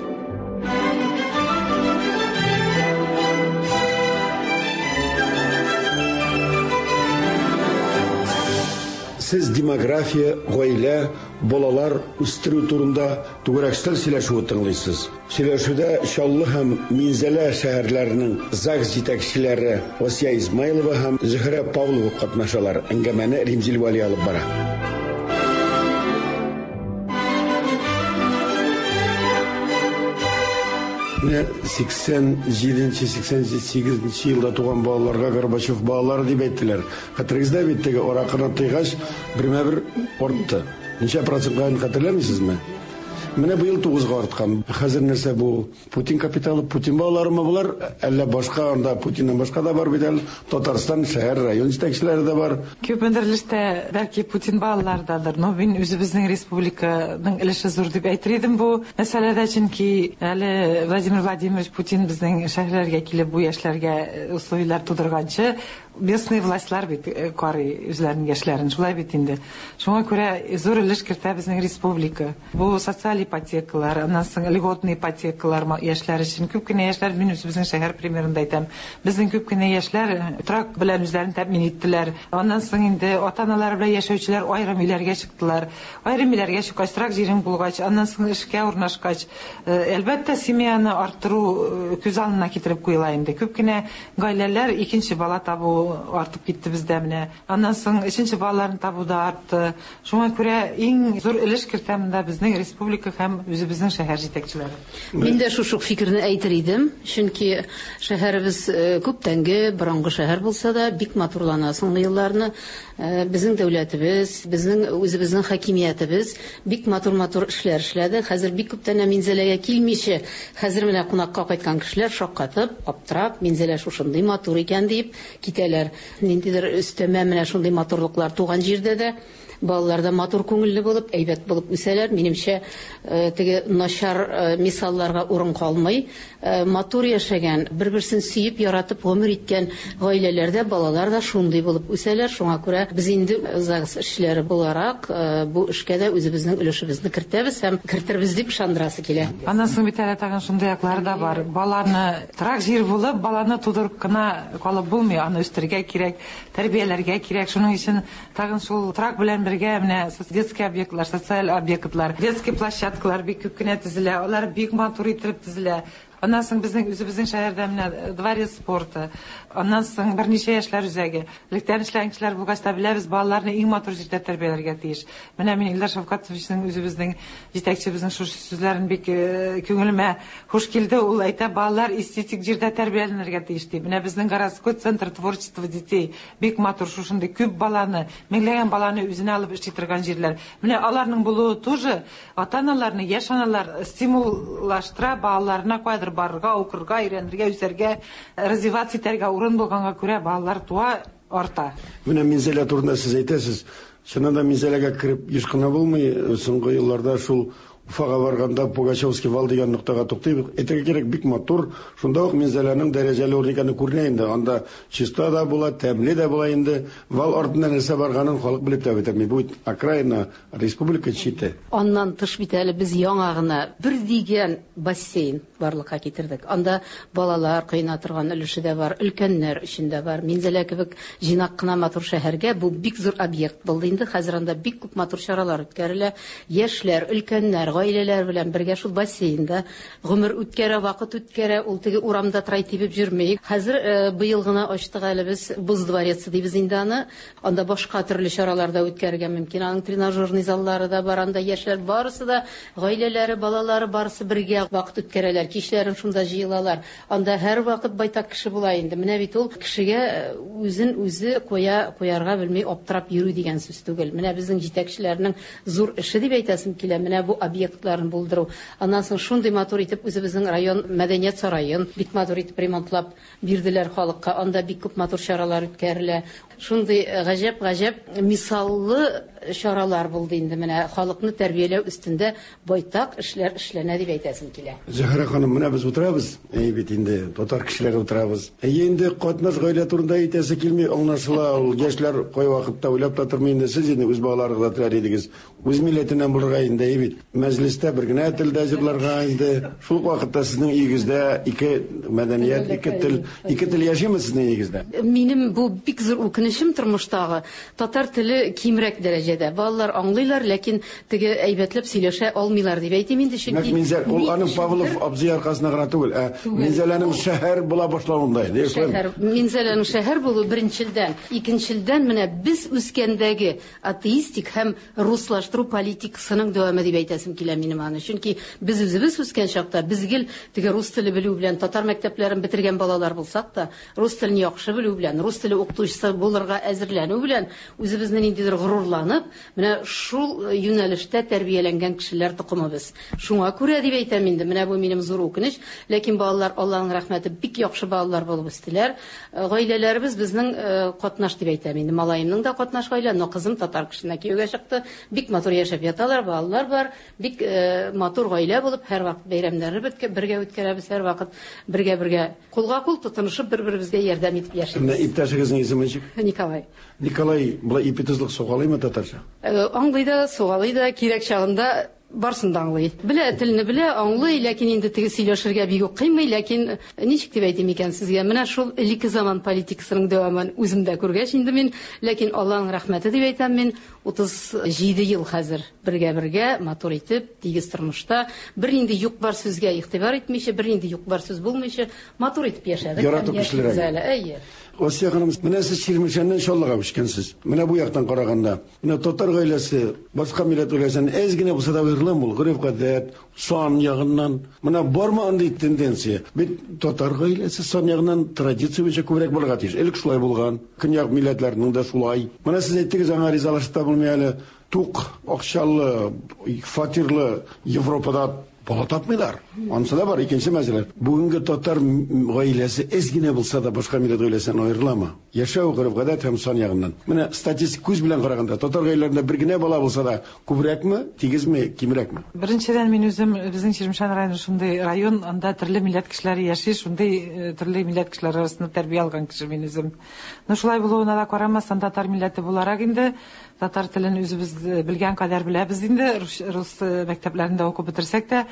Сез демография, гаилә, балалар үстерү турында түгәрәк өстәл сөйләшүе тыңлыйсыз. Сөйләшүдә Чаллы һәм Минзәлә шәһәрләренең ЗАГС җитәкчеләре Асия Измайлова һәм Зөһрә Павлова катнашалар. Әңгәмәне Римзил Вәли алып бара. Менә 87-нче, 88-нче елда туган балаларга Горбачев балалары дип әйттеләр. Хәтерегездә бит теге аракыны тыйгач, бермә-бер артты. Ничә процентка хәтерләмисезме? Менә быел 9-га арткан. Хәзер нәрсә бу? Путин капиталы, Путин балаларымы болар? Әллә башка анда Путиннан башка да бар бит әле. Татарстан шәһәр, район җитәкчеләре дә бар. Күпмедер өлештә бәлки Путин балалары дадыр, но мин үзебезнең республиканың өлеше зур дип әйтер идем бу мәсьәләдә, чөнки әле Владимир Владимирович Путин безнең шәһәрләргә килеп бу яшьләргә условияләр тудырганчы, местный властьлар бит карый үзләренең яшьләрен, шулай бит инде. Шуңа күрә зур өлеш кертә безнең республика. Бу социаль ипотекалар, аннан соң льготный ипотекалар яшьләр өчен. Күп кенә яшьләр, мин үзебезнең шәһәр примерында әйтәм, безнең күп кенә яшьләр торак белән үзләрен тәэмин иттеләр. Аннан соң инде ата-аналары белән яшәүчеләр аерым өйләргә чыктылар. Аерым өйләргә чыккач, торак җирең булгач, аннан соң эшкә урнашкач, әлбәттә, семьяны арттыру күз алдына китереп куела инде. Күп кенә гаиләләр икенче бала табу табу артып китте бездә менә. Аннан соң өченче балаларны табу да артты. Шуңа күрә иң зур өлеш кертә монда безнең республика һәм үзебезнең шәһәр җитәкчеләре. Мин дә шушы ук фикерне әйтер идем, чөнки шәһәребез күптәнге, борынгы шәһәр булса да, бик матурлана соңгы елларны. Безнең дәүләтебез, безнең үзебезнең хакимиятебез бик матур-матур эшләр эшләде. Хәзер бик күптән Минзәләгә килмичә, хәзер менә кунакка кайткан кешеләр шаккатып, аптырап, Минзәлә шушындый матур икән дип китәләр. Ниндидер өстәмә менә шундый матурлыклар туган җирдә дә балалар да матур күңелле булып, әйбәт булып үсәләр. Минемчә, теге начар мисалларга урын калмый. Матур яшәгән, бер-берсен сөеп, яратып гомер иткән гаиләләрдә балалар да шундый булып үсәләр. Шуңа күрә без инде ЗАГС эшчеләре буларак бу эшкә дә үзебезнең өлешебезне кертәбез һәм кертербез дип ышандырасы килә. Аннан соң бит әле тагын шундый яклары да бар. Баланы торак җир булып, баланы тудырып кына калып булмый, аны үстерергә кирәк, тәрбияләргә кирәк. Шуның өчен тагын шул торак белән бергә менә детский объектлар, социаль объектлар, детский площадкалар бик күп кенә төзелә, алар бик матур итеп төзелә. Аннан соң безнең үзебезнең шәһәрдә менә дворец спорты, аннан соң берничә яшьләр үзәге. Электән эшләгән кешеләр булгач та беләбез, балаларны иң матур җирдә тәрбияләргә тиеш. Менә мин Илдар Шәфкатовичның үзебезнең җитәкчебезнең шушы сүзләрен бик күңелемә хуш килде. Ул әйтә, балалар эстетик җирдә тәрбияләнергә тиеш ди. Менә безнең городской центр творчества детей бик матур, шушындый күп баланы, меңләгән баланы үзенә алып эшли торган җирләр. Менә аларның булуы тоже ата-аналарны, яшь аналар стимуллаштыра балаларына кайдыр барырга, укырга, өйрәнергә, үсәргә, развиваться итәргә урын булганга күрә балалар туа, арта. Менә Минзәлә турында сез әйтәсез. Чыннан да Минзәләгә кереп еш кына булмый. Соңгы елларда шул Уфага барганда Пугачевский вал дигән ноктага туктыйбыз. Әйтергә кирәк, бик матур. Шунда ук Минзәләнең дәрәҗәле урын икәне күренә инде. Анда чиста да була, тәмле дә була инде. Вал артында нәрсә барганын халык белеп тә бетерми. Бу окраина республика чите. Аннан тыш бит әле без яңа гына бер дигән бассейн барлыкка китердек. Анда балалар коена торган өлеше дә бар, өлкәннәр өчен дә бар. Минзәлә кебек җыйнак кына матур шәһәргә бу бик зур объект булды инде. Хәзер анда бик күп матур чаралар үткәрелә. Яшьләр, өлкәннәр, гаиләләр белән бергә шул бассейнда гомер үткәрә, вакыт үткәрә, ул теге урамда трай тибеп йөрми. Хәзер быел гына ачтык әле без боз дворецы дибез инде аны. Анда башка төрле чаралар да үткәрергә мөмкин. Аның тренажерный заллары да бар, анда яшьләр барысы да, гаиләләре, балалары барысы бергә вакыт үткәрәләр. Кичләрен шунда җыелалар. Анда һәр вакыт байтак кеше була инде. Менә бит ул кешегә үзен үзе куярга белми аптырап йөрү дигән сүз түгел. Менә безнең җитәкчеләрнең зур эше дип әйтәсем килә. Менә бу объектларын булдыру. Аннан соң шундый матур итеп үзебезнең район мәдәният сараен бик матур итеп ремонтлап бирделәр халыкка. Анда бик күп матур чаралар үткәрелә. Шундый гаҗәп-гаҗәп мисаллы чаралар булды инде. Менә халыкны тәрбияләү өстендә байтак эшләр эшләнә дип әйтәсем килә. Зөһрә ханым, менә без утырабыз, әй бит инде татар кешеләре утырабыз. Әй инде катнаш гаилә турында әйтәсе килми, аңлашыла, ул яшьләр кай вакытта уйлап та тормый инде. Сез инде үз балаларыгызга теләр идегез, үз милләтеннән булырга инде, әй бит. Мәҗлестә бер генә телдә җырларга инде. Шул ук вакытта сезнең өегездә ике мәдәният, ике тел, ике тел яшиме сезнең өегездә? Минем бу бик зур үкенечем тормыштагы. Татар теле кимрәк дәрәҗәдә. Балалар аңлыйлар, ләкин теге әйбәтләп сөйләшә алмыйлар дип әйтим инде, чөнки Минзәл, ул аның Павлов абзый аркасына гына түгел, ә Минзәләнең шәһәр була башлавында инде. Шәһәр, Минзәләнең шәһәр булу беренчелдән, икенчелдән менә без үскәндәге атеистик һәм руслаштыру политикасының дәвамы дип әйтәсем килә минем аны. Чөнки без үзебез үскән чакта без гел теге рус теле белү белән татар мәктәпләрен бетергән балалар булсак та, рус телен яхшы белү белән, рус теле укытучысы булырга әзерләнү белән үзебезне ниндидер горурланып, менә шул юнәлештә тәрбияләнгән кешеләр токымыбыз. Шуңа күрә дип әйтәм инде, менә бу минем зур үкенеч, ләкин балалар Аллаһның рәхмәте бик яхшы балалар булып үстеләр. Гаиләләребез безнең катнаш дип әйтәм инде. Малаемның да катнаш гаилә, но кызым татар кешесенә кияүгә чыкты. Бик матур яшәп яталар, балалар бар. Бик матур гаилә булып, һәрвакыт бәйрәмнәрне бергә үткәрәбез, һәрвакыт бергә-бергә кулга-кул тотынышып бер-беребезгә ярдәм итеп яшибез. Менә иптәшегезнең исеме ничек? Николай. Николай, болай ипи-тозлык сугалыймы татарча? Аңлый да, сугалый да, кирәк чагында барсын да аңлый. Белә, телне белә, аңлый, ләкин инде теге сөйләшергә бик үк кыймый, ләкин ничек дип әйтим икән сезгә, менә шул элекке заман политикасының дәвамын үзем дә күргәч инде мин, ләкин Аллаһның рәхмәте дип әйтәм мин, 37 ел хәзер бергә-бергә матур итеп, тигез тормышта, бернинди юк-бар сүзгә игътибар итмичә, бернинди юк-бар сүз булмыйча, матур итеп яшәдек. Ярату кешеләр. Әйе. Асия ханым, менә сез Чирмешәннән Чаллыга күчкәнсез. Менә бу яктан караганда, менә татар гаиләсе башка милләт гаиләсеннән әз генә булса да аерыламы ул? Гореф-гадәт, сан ягыннан. Менә бармы андый тенденция? Бит татар гаиләсе сан ягыннан традиция буенча күбрәк булырга тиеш. Элек шулай булган. Көньяк милләтләренең дә шулай. Менә сез әйттегез, аңа ризалашып та булмый әле. Тук, акчалы, фатирлы Европада бала тапмыйлар. Анысы да бар, икенче мәсьәлә. Бүгенге татар гаиләсе әз генә булса да башка милләт гаиләсеннән аерыламы? Яшәү, гореф-гадәт һәм сан ягыннан. Менә статистик күз белән караганда, татар гаиләләрендә бер генә бала булса да күбрәкме, тигезме, кимрәкме? Беренчедән, мин үзем, безнең Чирмешән районы шундый район, анда төрле милләт кешеләре яши, шундый төрле милләт кешеләре арасында тәрбия алган кеше мин үзем. Но шулай булуына да карамастан, татар милләте буларак инде, татар телен үзебез белгән кадәр беләбез инде, рус мәктәпләрендә укып бетерсәк тә.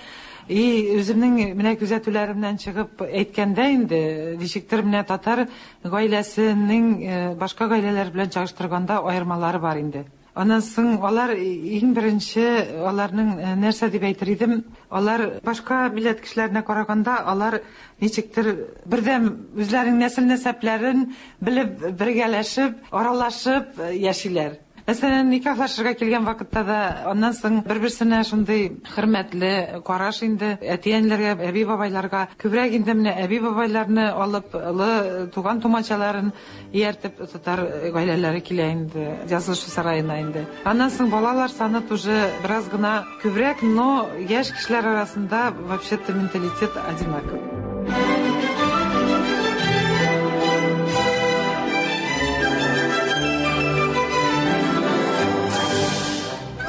И үземнең менә күзәтүләремнән чыгып әйткәндә инде, ничектер менә татар гаиләсенең башка гаиләләр белән чагыштырганда аермалары бар инде. Аннан соң алар иң беренче, аларның нәрсә дип әйтер идем, алар башка милләт кешеләренә караганда, алар ничектер бердәм үзләренең нәсел-нәсәпләрен белеп, бергәләшеп, аралашып яшиләр. Мәсәлән, никахлашырга килгән вакытта да аннан соң бер-берсенә шундый хөрмәтле караш инде, әти-әниләргә, әби-бабайларга күбрәк инде менә әби-бабайларны алып, олы туган тумачаларын ияртеп татар гаиләләре килә инде, язылышу сараена инде. Аннан соң балалар саны тоже бераз гына күбрәк, но яшь кешеләр арасында вообще-то менталитет одинаковый.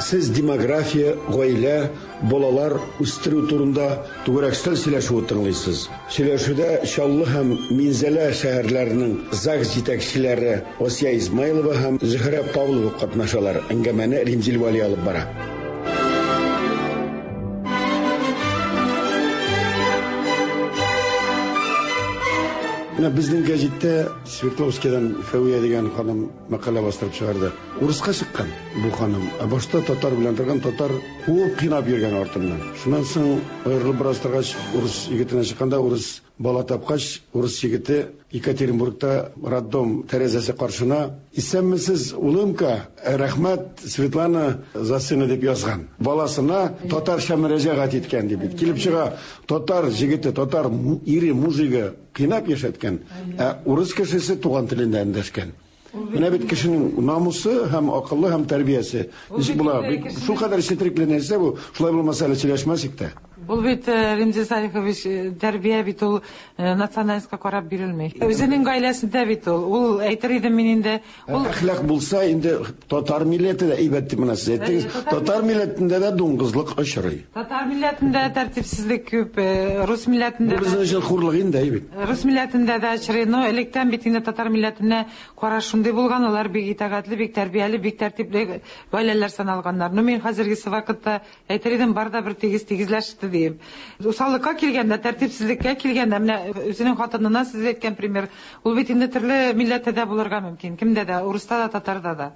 Сез демография, гаилә, балалар үстерү турында түгәрәк өстәл сөйләшүе тыңлыйсыз. Сөйләшүдә Чаллы һәм Минзәлә шәһәрләренең ЗАГС җитәкчеләре Асия Измайлова һәм Зөһрә Павлова катнашалар. Әңгәмәне Римзил Вәли алып бара. Менә безнең гәзиттә Свердловскидан Фәвия дигән ханым мәкалә бастырып чыгарды. Урыска чыккан бу ханым. Ә башта татар белән торган, татар куып кыйнап йөргән артыннан. Шуннан соң аерылып бераз торгач, урыс егетенә чыкканда, урыс бала тапкач, урыс егете Екатеринбургта роддом тәрәзәсе каршына «Исәнмесез, улымка, рәхмәт, Светлана за сына» дип язган. Баласына татарча мөрәҗәгать иткән дип бит. Килеп чыга, татар җегете, татар ире, мужигы кыйнап яшәткән, ә урыс кешесе туган телендә эндәшкән. Менә бит кешенең намусы һәм акылы һәм тәрбиясе. Ничек була? Шул кадәр четерекле нәрсә бу. Шулай булмаса әле сөйләшмәс идек тә. Ул бит, Римзил Салихович, тәрбия бит ул национальностька карап бирелми. Үзенең гаиләсендә бит ул. Ул әйтер идем мин инде. Ул әхлак булса инде татар милләте дә әйбәт дип менә сез әйттегез. Татар милләтендә дә дуңгызлык очрый. Татар милләтендә тәртипсезлек күп, рус милләтендә. Бу безнең өчен хурлык инде, әйбәт. Рус милләтендә дә очрый. Но электән бит инде татар милләтенә караш шундый булган, алар бик итагатьле, бик тәрбияле, бик тәртипле гаиләләр саналганнар. Но мин хәзергесе вакытта әйтер идем, бар да бер тигез тигезләште диеп. Усаллыкка килгәндә, тәртипсезлеккә килгәндә, менә үзенең хатынына сез әйткән пример, ул бит инде төрле милләттә дә булырга мөмкин. Кемдә дә, урыста да, татарда да.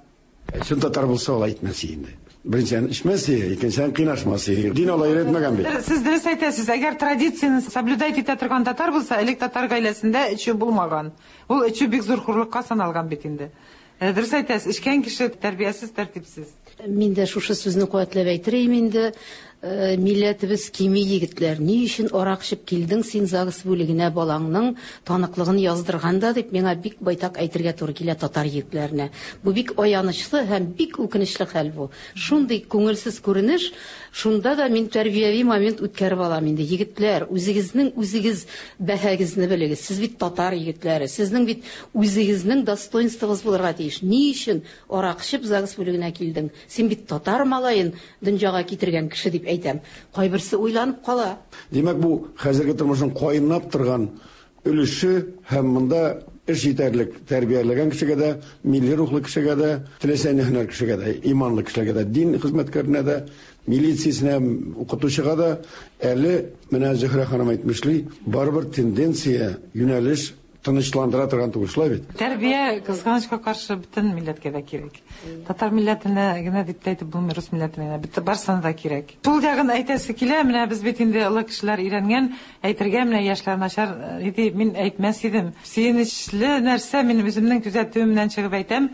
Чын татар булса, ул әйтмәс инде. Беренчедән эчмәс, икенчедән кыйнашмас. Дин алай өйрәтмәгән бит. Сез дөрес әйтәсез, әгәр традицияне соблюдать итә торган татар булса, элек татар гаиләсендә эчү булмаган. Ул эчү бик зур хурлыкка саналган бит инде. Дөрес әйтәсез, эчкән кеше тәрбиясез, тәртипсез. Мин дә шушы сүзне куәтләп әйтерем инде. Милләтебез кими, егетләр. Ни өчен арак эчеп килдең син ЗАГС бүлегенә балаңның таныклыгын яздырганда дип миңа бик байтак әйтергә туры килә татар егетләренә. Бу бик аянычлы һәм бик үкенечле хәл бу. Шундый күңелсез күренеш, шунда да мин тәрбияви момент үткәреп алам инде. Егетләр, үзегезнең үзегез бәһәгезне белегез. Сез бит татар егетләре. Сезнең бит үзегезнең достоинствогыз булырга тиеш. Ни өчен арак эчеп ЗАГС бүлегенә килдең? Син бит татар малаен дөньяга китергән кеше дип әйтәм. Кайберсе уйланып кала. Димәк, бу хәзерге тормышның кайнап торган өлеше һәм монда эш җитәрлек тәрбияләгән кешегә дә, милли рухлы кешегә дә, теләсә ни һөнәр кешегә дә, иманлы кешеләргә дә, дин хезмәткәренә дә, милициясенә, укытучыга да әле менә Зөһрә ханым әйтмешли, барыбер тенденция, юнәлеш тынычландыра торган түгел, шулай бит? Тәрбия, кызганычка каршы, бөтен милләткә дә кирәк. Татар милләтенә генә дип тә әйтеп булмый, рус милләтенә генә. Бөтен барсына да кирәк. Шул ягын әйтәсе килә, менә без бит инде олы кешеләр өйрәнгән, әйтергә менә яшьләр начар иде, мин әйтмәс идем. Сөенечле нәрсә, мин үземнең күзәтүемнән чыгып әйтәм,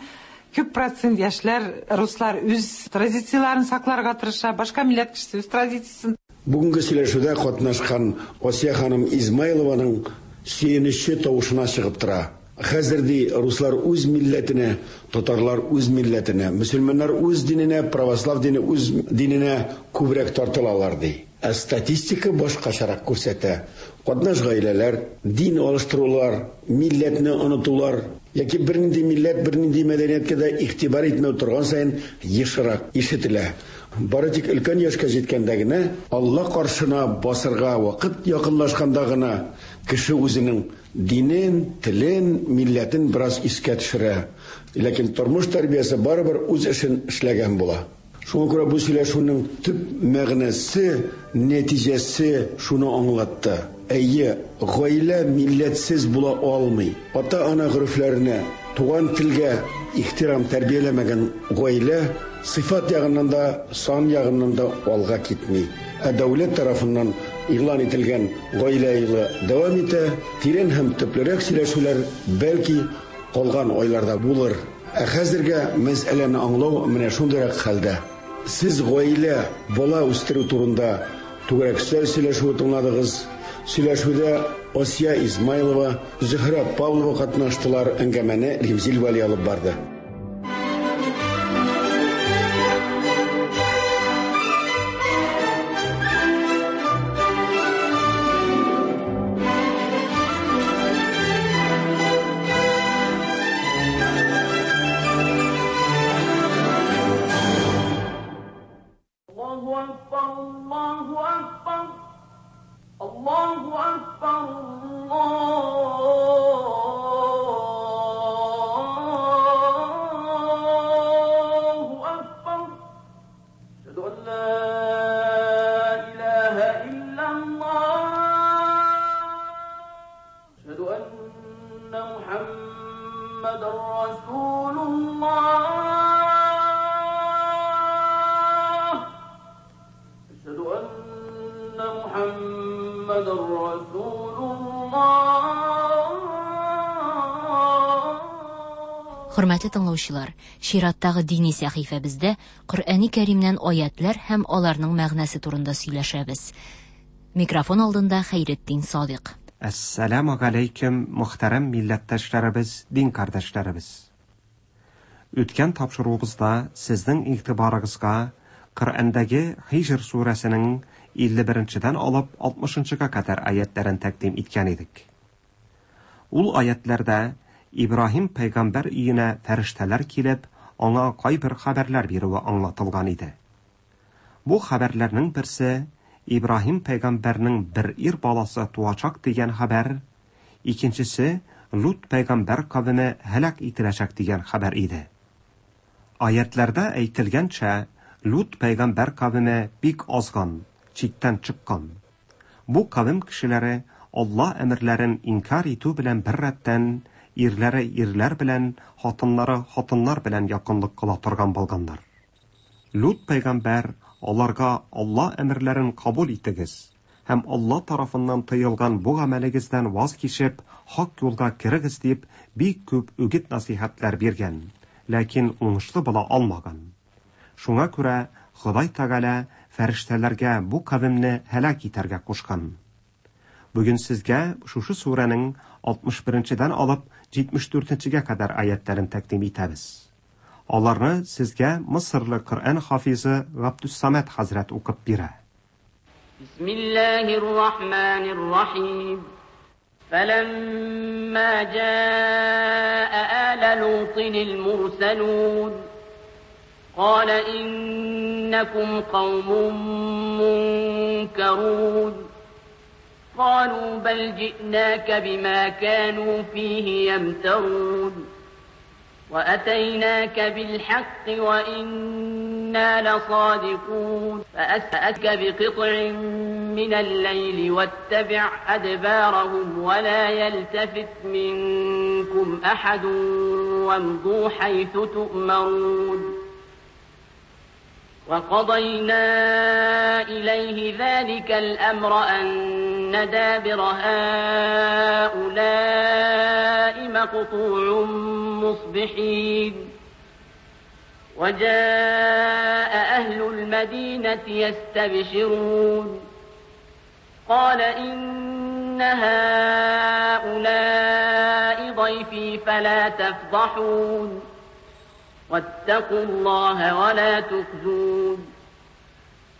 күп процент яшьләр, руслар үз традицияләрен сакларга тырыша, башка милләт кешесе үз традициясен. Бүгенге сөйләшүдә катнашкан Асия ханым Измайлованың сөенече тавышына чыгып тора. Хәзер, ди, руслар үз милләтенә, татарлар үз милләтенә, мөселманнар үз диненә, православ дине үз диненә күбрәк тартылалар, ди. Ә статистика башкачарак күрсәтә. Катнаш гаиләләр, дин алыштырулар, милләтне онытулар яки бернинди милләт, бернинди мәдәнияткә дә игътибар итмәү торган саен ешрак ишетелә. Бары тик өлкән яшькә җиткәндә генә, Алла каршына басырга вакыт якынлашканда гына кеше үзенең динен, телен, милләтен бераз искә төшерә. Ләкин тормыш тәрбиясе барыбер үз эшен эшләгән була. Шуңа күрә бу сөйләшүнең төп мәгънәсе, нәтиҗәсе шуны аңлатты. Әйе, гаилә милләтсез була алмый. Ата-ана горефләренә, туган телгә ихтирам тәрбияләмәгән гаилә сыйфат ягыннан да, сан ягыннан да алга китми. Ә дәүләт тарафыннан игълан ителгән Гаилә елы дәвам итә. Тирән һәм төплерәк сөйләшүләр, бәлки, калган айларда булыр. Ә хәзергә мәсьәләне аңлау менә шундыйрак хәлдә. Сез гаилә, бала үстерү турында түгәрәк өстәл сөйләшүе тыңладыгыз. Сөйләшүдә Асия Измайлова, Зөһрә Павлова катнаштылар, әңгәмәне Римзил Вәли алып барды. Хөрмәтле тыңлаучылар, чираттагы дини сәхифәбездә Коръәни Кәримнән аятлар һәм аларның мәгънәсе турында сөйләшәбез. Микрофон алдында Хәйретдин Садыйк. Әссәламү галәйкүм, мөхтәрәм милләттәшләребез, дин кардәшләребез. Үткән тапшыруыбызда сезнең игътибарыгызга Коръәндәге Хиҗр сүрәсенең 51 нчедән алып 60 нчыга кадәр аятьләрен тәкъдим иткән идек. Ул аятьләрдә Ибраһим пәйгамбәр өенә фәрештәләр килеп, аңа кайбер хәбәрләр бирүе аңлатылган иде. Бу хәбәрләрнең берсе, Ибраһим пәйгамбәрнең бер ир баласы туачак дигән хәбәр, икенчесе, Лут пәйгамбәр кавеме һәлак ителәчәк дигән хәбәр иде. Аятьләрдә әйтелгәнчә, Лут пәйгамбәр кавеме бик азган, чиктән чыккан. Бу кавем кешеләре Алла әмерләрен инкяр итү белән беррәттән, ирләре ирләр белән, хатыннары хатыннар белән якынлык кыла торган булганнар. Лут пәйгамбәр аларга Алла әмерләрен кабул итегез һәм Алла тарафыннан тыелган бу гамәлегездән ваз кичеп, хак юлга керегез дип бик күп үгет-насыйхәтләр биргән, ләкин уңышлы була алмаган. Шуңа күрә Ходай Тәгалә фәрештәләргә бу кавемне һәлак итәргә кушкан. Бүген сезгә шушы сүрәнең 61 нчедән алып 74 нчегә кадәр аятьләрен тәкъдим итәбез. Аларны сезгә Мысырлы Коръән хафизы Габдүссамәт хәзрәт укып бирә. Бисмиллаһир Рахманир Рахим. فلما جاء آل لوط المرسلون قال إنكم قوم منكرون قالوا بل جئناك بما كانوا فيه يمترون وأتيناك بالحق وإنا لصادقون فأسأك بقطع من الليل واتبع أدبارهم ولا يلتفت منكم أحد وامضوا حيث تؤمرون وقضينا إليه ذلك الأمر أن دابر هؤلاء مقطوع مصبحين وجاء أهل المدينة يستبشرون قال إن هؤلاء ضيفي فلا تفضحون واتقوا الله ولا تخزون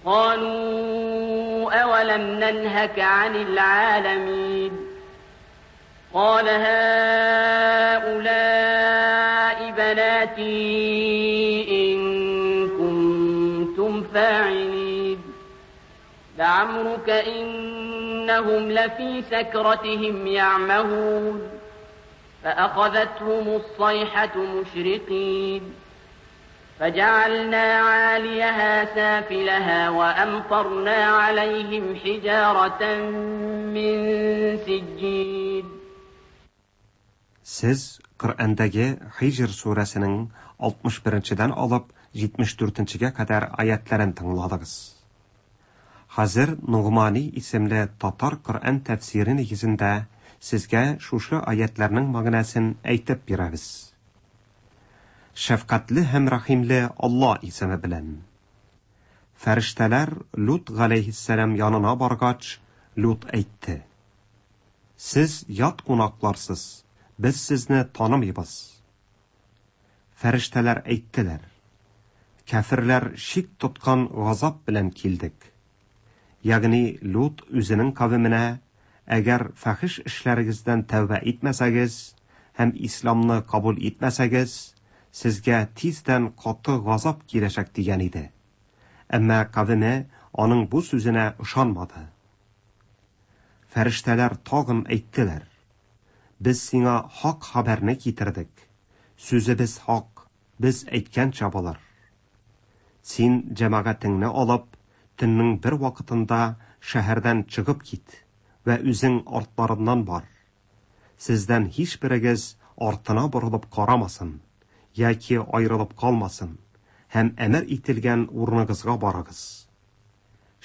قالوا أولم ننهك عن العالمين قال هؤلاء بناتي إن كنتم فاعلين لعمرك إنهم لفي سكرتهم يعمهون فأخذتهم الصيحة مشرقين فجعلنا عاليها سافلها وأمطرنا عليهم حجارة من سجيل. Сез Коръәндәге Хиҗр сүрәсенең 61-дән алып 74-гә кадәр аятларын тыңладыгыз. Хәзер Нугмани исемле татар Коръән тәфсире нигезендә сезгә шушы аятларның мәгънәсен әйтеп бирәбез. Шәфкатьле һәм рәхимле Алла исеме белән. Фәрештәләр Лут галәйһиссәлам янына баргач, Лут әйтте: Сез ят кунакларсыз, без сезне танымыйбыз. Фәрештәләр әйттеләр: Кәферләр шик тоткан газап белән килдек. Ягъни Лут үзенең кавеменә, әгәр фәхиш эшләрегездән тәүбә итмәсәгез һәм исламны кабул итмәсәгез, сезгә тиздән каты газап киләчәк дигән иде. Әмма кавеме аның бу сүзенә ышанмады. Фәрештәләр тагын әйттеләр: Без сиңа хак хәбәрне китердек. Сүзебез хак, без әйткәнчә булыр. Син җәмәгатеңне алып, төннең бер вакытында шәһәрдән чыгып кит вә үзең артларыннан бар. Сездән һичберегез артына борылып карамасын яки аерылып калмасын һәм әмер ителгән урыныгызга барыгыз.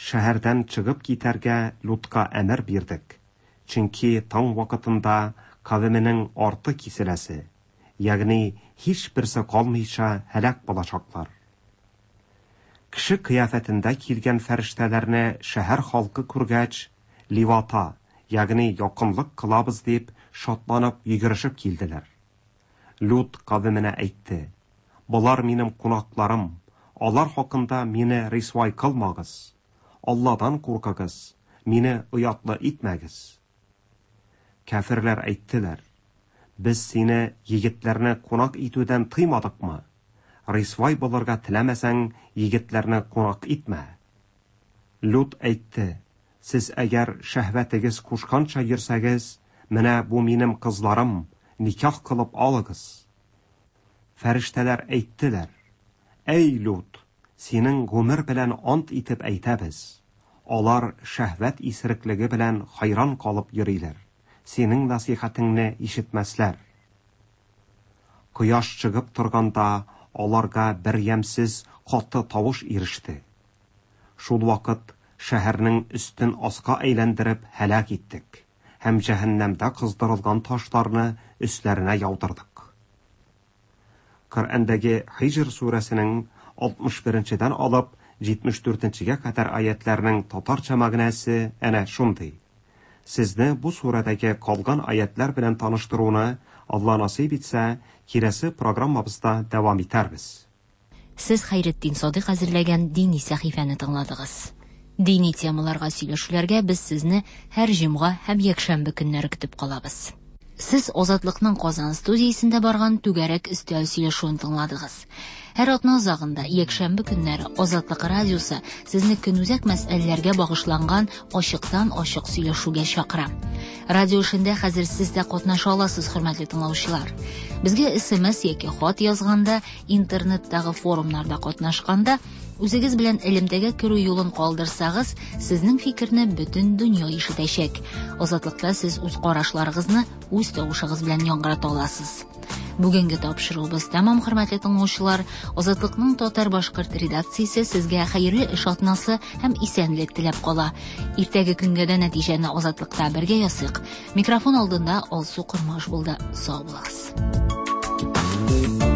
Шәһәрдән чыгып китәргә Лутка әмер бирдек, чөнки таң вакытында кавеменең арты киселәсе, ягъни һичберсе калмыйча һәлак булачаклар. Кеше кыяфәтендә килгән фәрештәләрне шәһәр халкы күргәч, ливата, ягъни якынлык кылабыз дип, шатланып йөгерешеп килделәр. Лут кавеменә әйтте: Болар минем кунакларым, алар хакында мине рисвай кылмагыз. Алладан куркыгыз, мине оятлы итмәгез. Кәферләр әйттеләр: Без сине егетләрне кунак итүдән тыймадыкмы? Рисвай булырга теләмәсәң, егетләрне кунак итмә. Лут әйтте: Сез әгәр шәһвәтегез кушканча йөрсәгез, менә бу минем кызларым, никах кылып алыгыз. Фәрештәләр әйттеләр: Әй Лут, синең гомер белән ант итеп әйтәбез, алар шәһвәт исереклеге белән хайран калып йөриләр, синең насыйхәтеңне ишетмәсләр. Кояш чыгып торганда аларга бер ямьсез каты тавыш иреште. Шул вакыт шәһәрнең өстен аска әйләндереп һәлак иттек һәм җәһәннәмдә кыздырылган ташларны өсләренә яудырдык. Коръәндәге Хиҗр сүрәсенең 61-дән алып 74-гә кадәр аятларның татарча мәгънәсе әнә шундый. Сезне бу сүрәдәге калган аятлар белән таныштыруны Алла насыйп итсә, киләсе программабызда дәвам итәрбез. Сез Хәйретдин Садыйк әзерләгән дини сәхифәне тыңладыгыз. Дини темаларга сөйләшүләргә без сезне һәр җомга һәм якшәмбе көннәре көтеп калабыз. Сез Азатлыкның Казан студиясендә барган түгәрәк өстәл сөйләшүен тыңладыгыз. Һәр атна азагында, якшәмбе көннәре Азатлык радиосы сезне көнүзәк мәсьәләләргә багышланган ачыктан-ачык сөйләшүгә чакыра. Радио эшендә хәзер сез дә катнаша аласыз, хөрмәтле тыңлаучылар. Безгә SMS яки хат язганда, интернеттагы форумнарда катнашканда, үзегез белән элемтәгә керү юлын калдырсагыз, сезнең фикерне бөтен дөнья ишетәчәк. Азатлыкта сез үз карашларыгызны үз тавышыгыз белән яңгырата аласыз. Бүгенге тапшыруыбыз тәмам, хөрмәтле тыңлаучылар. Азатлыкның татар-башкорт редакциясе сезгә хәерле эш атнасы һәм исәнлек теләп кала. Иртәге көнгә дә нәтиҗәне Азатлыкта бергә ясыйк. Микрофон алдында Алсу Кормаш булды. Сау булыгыз.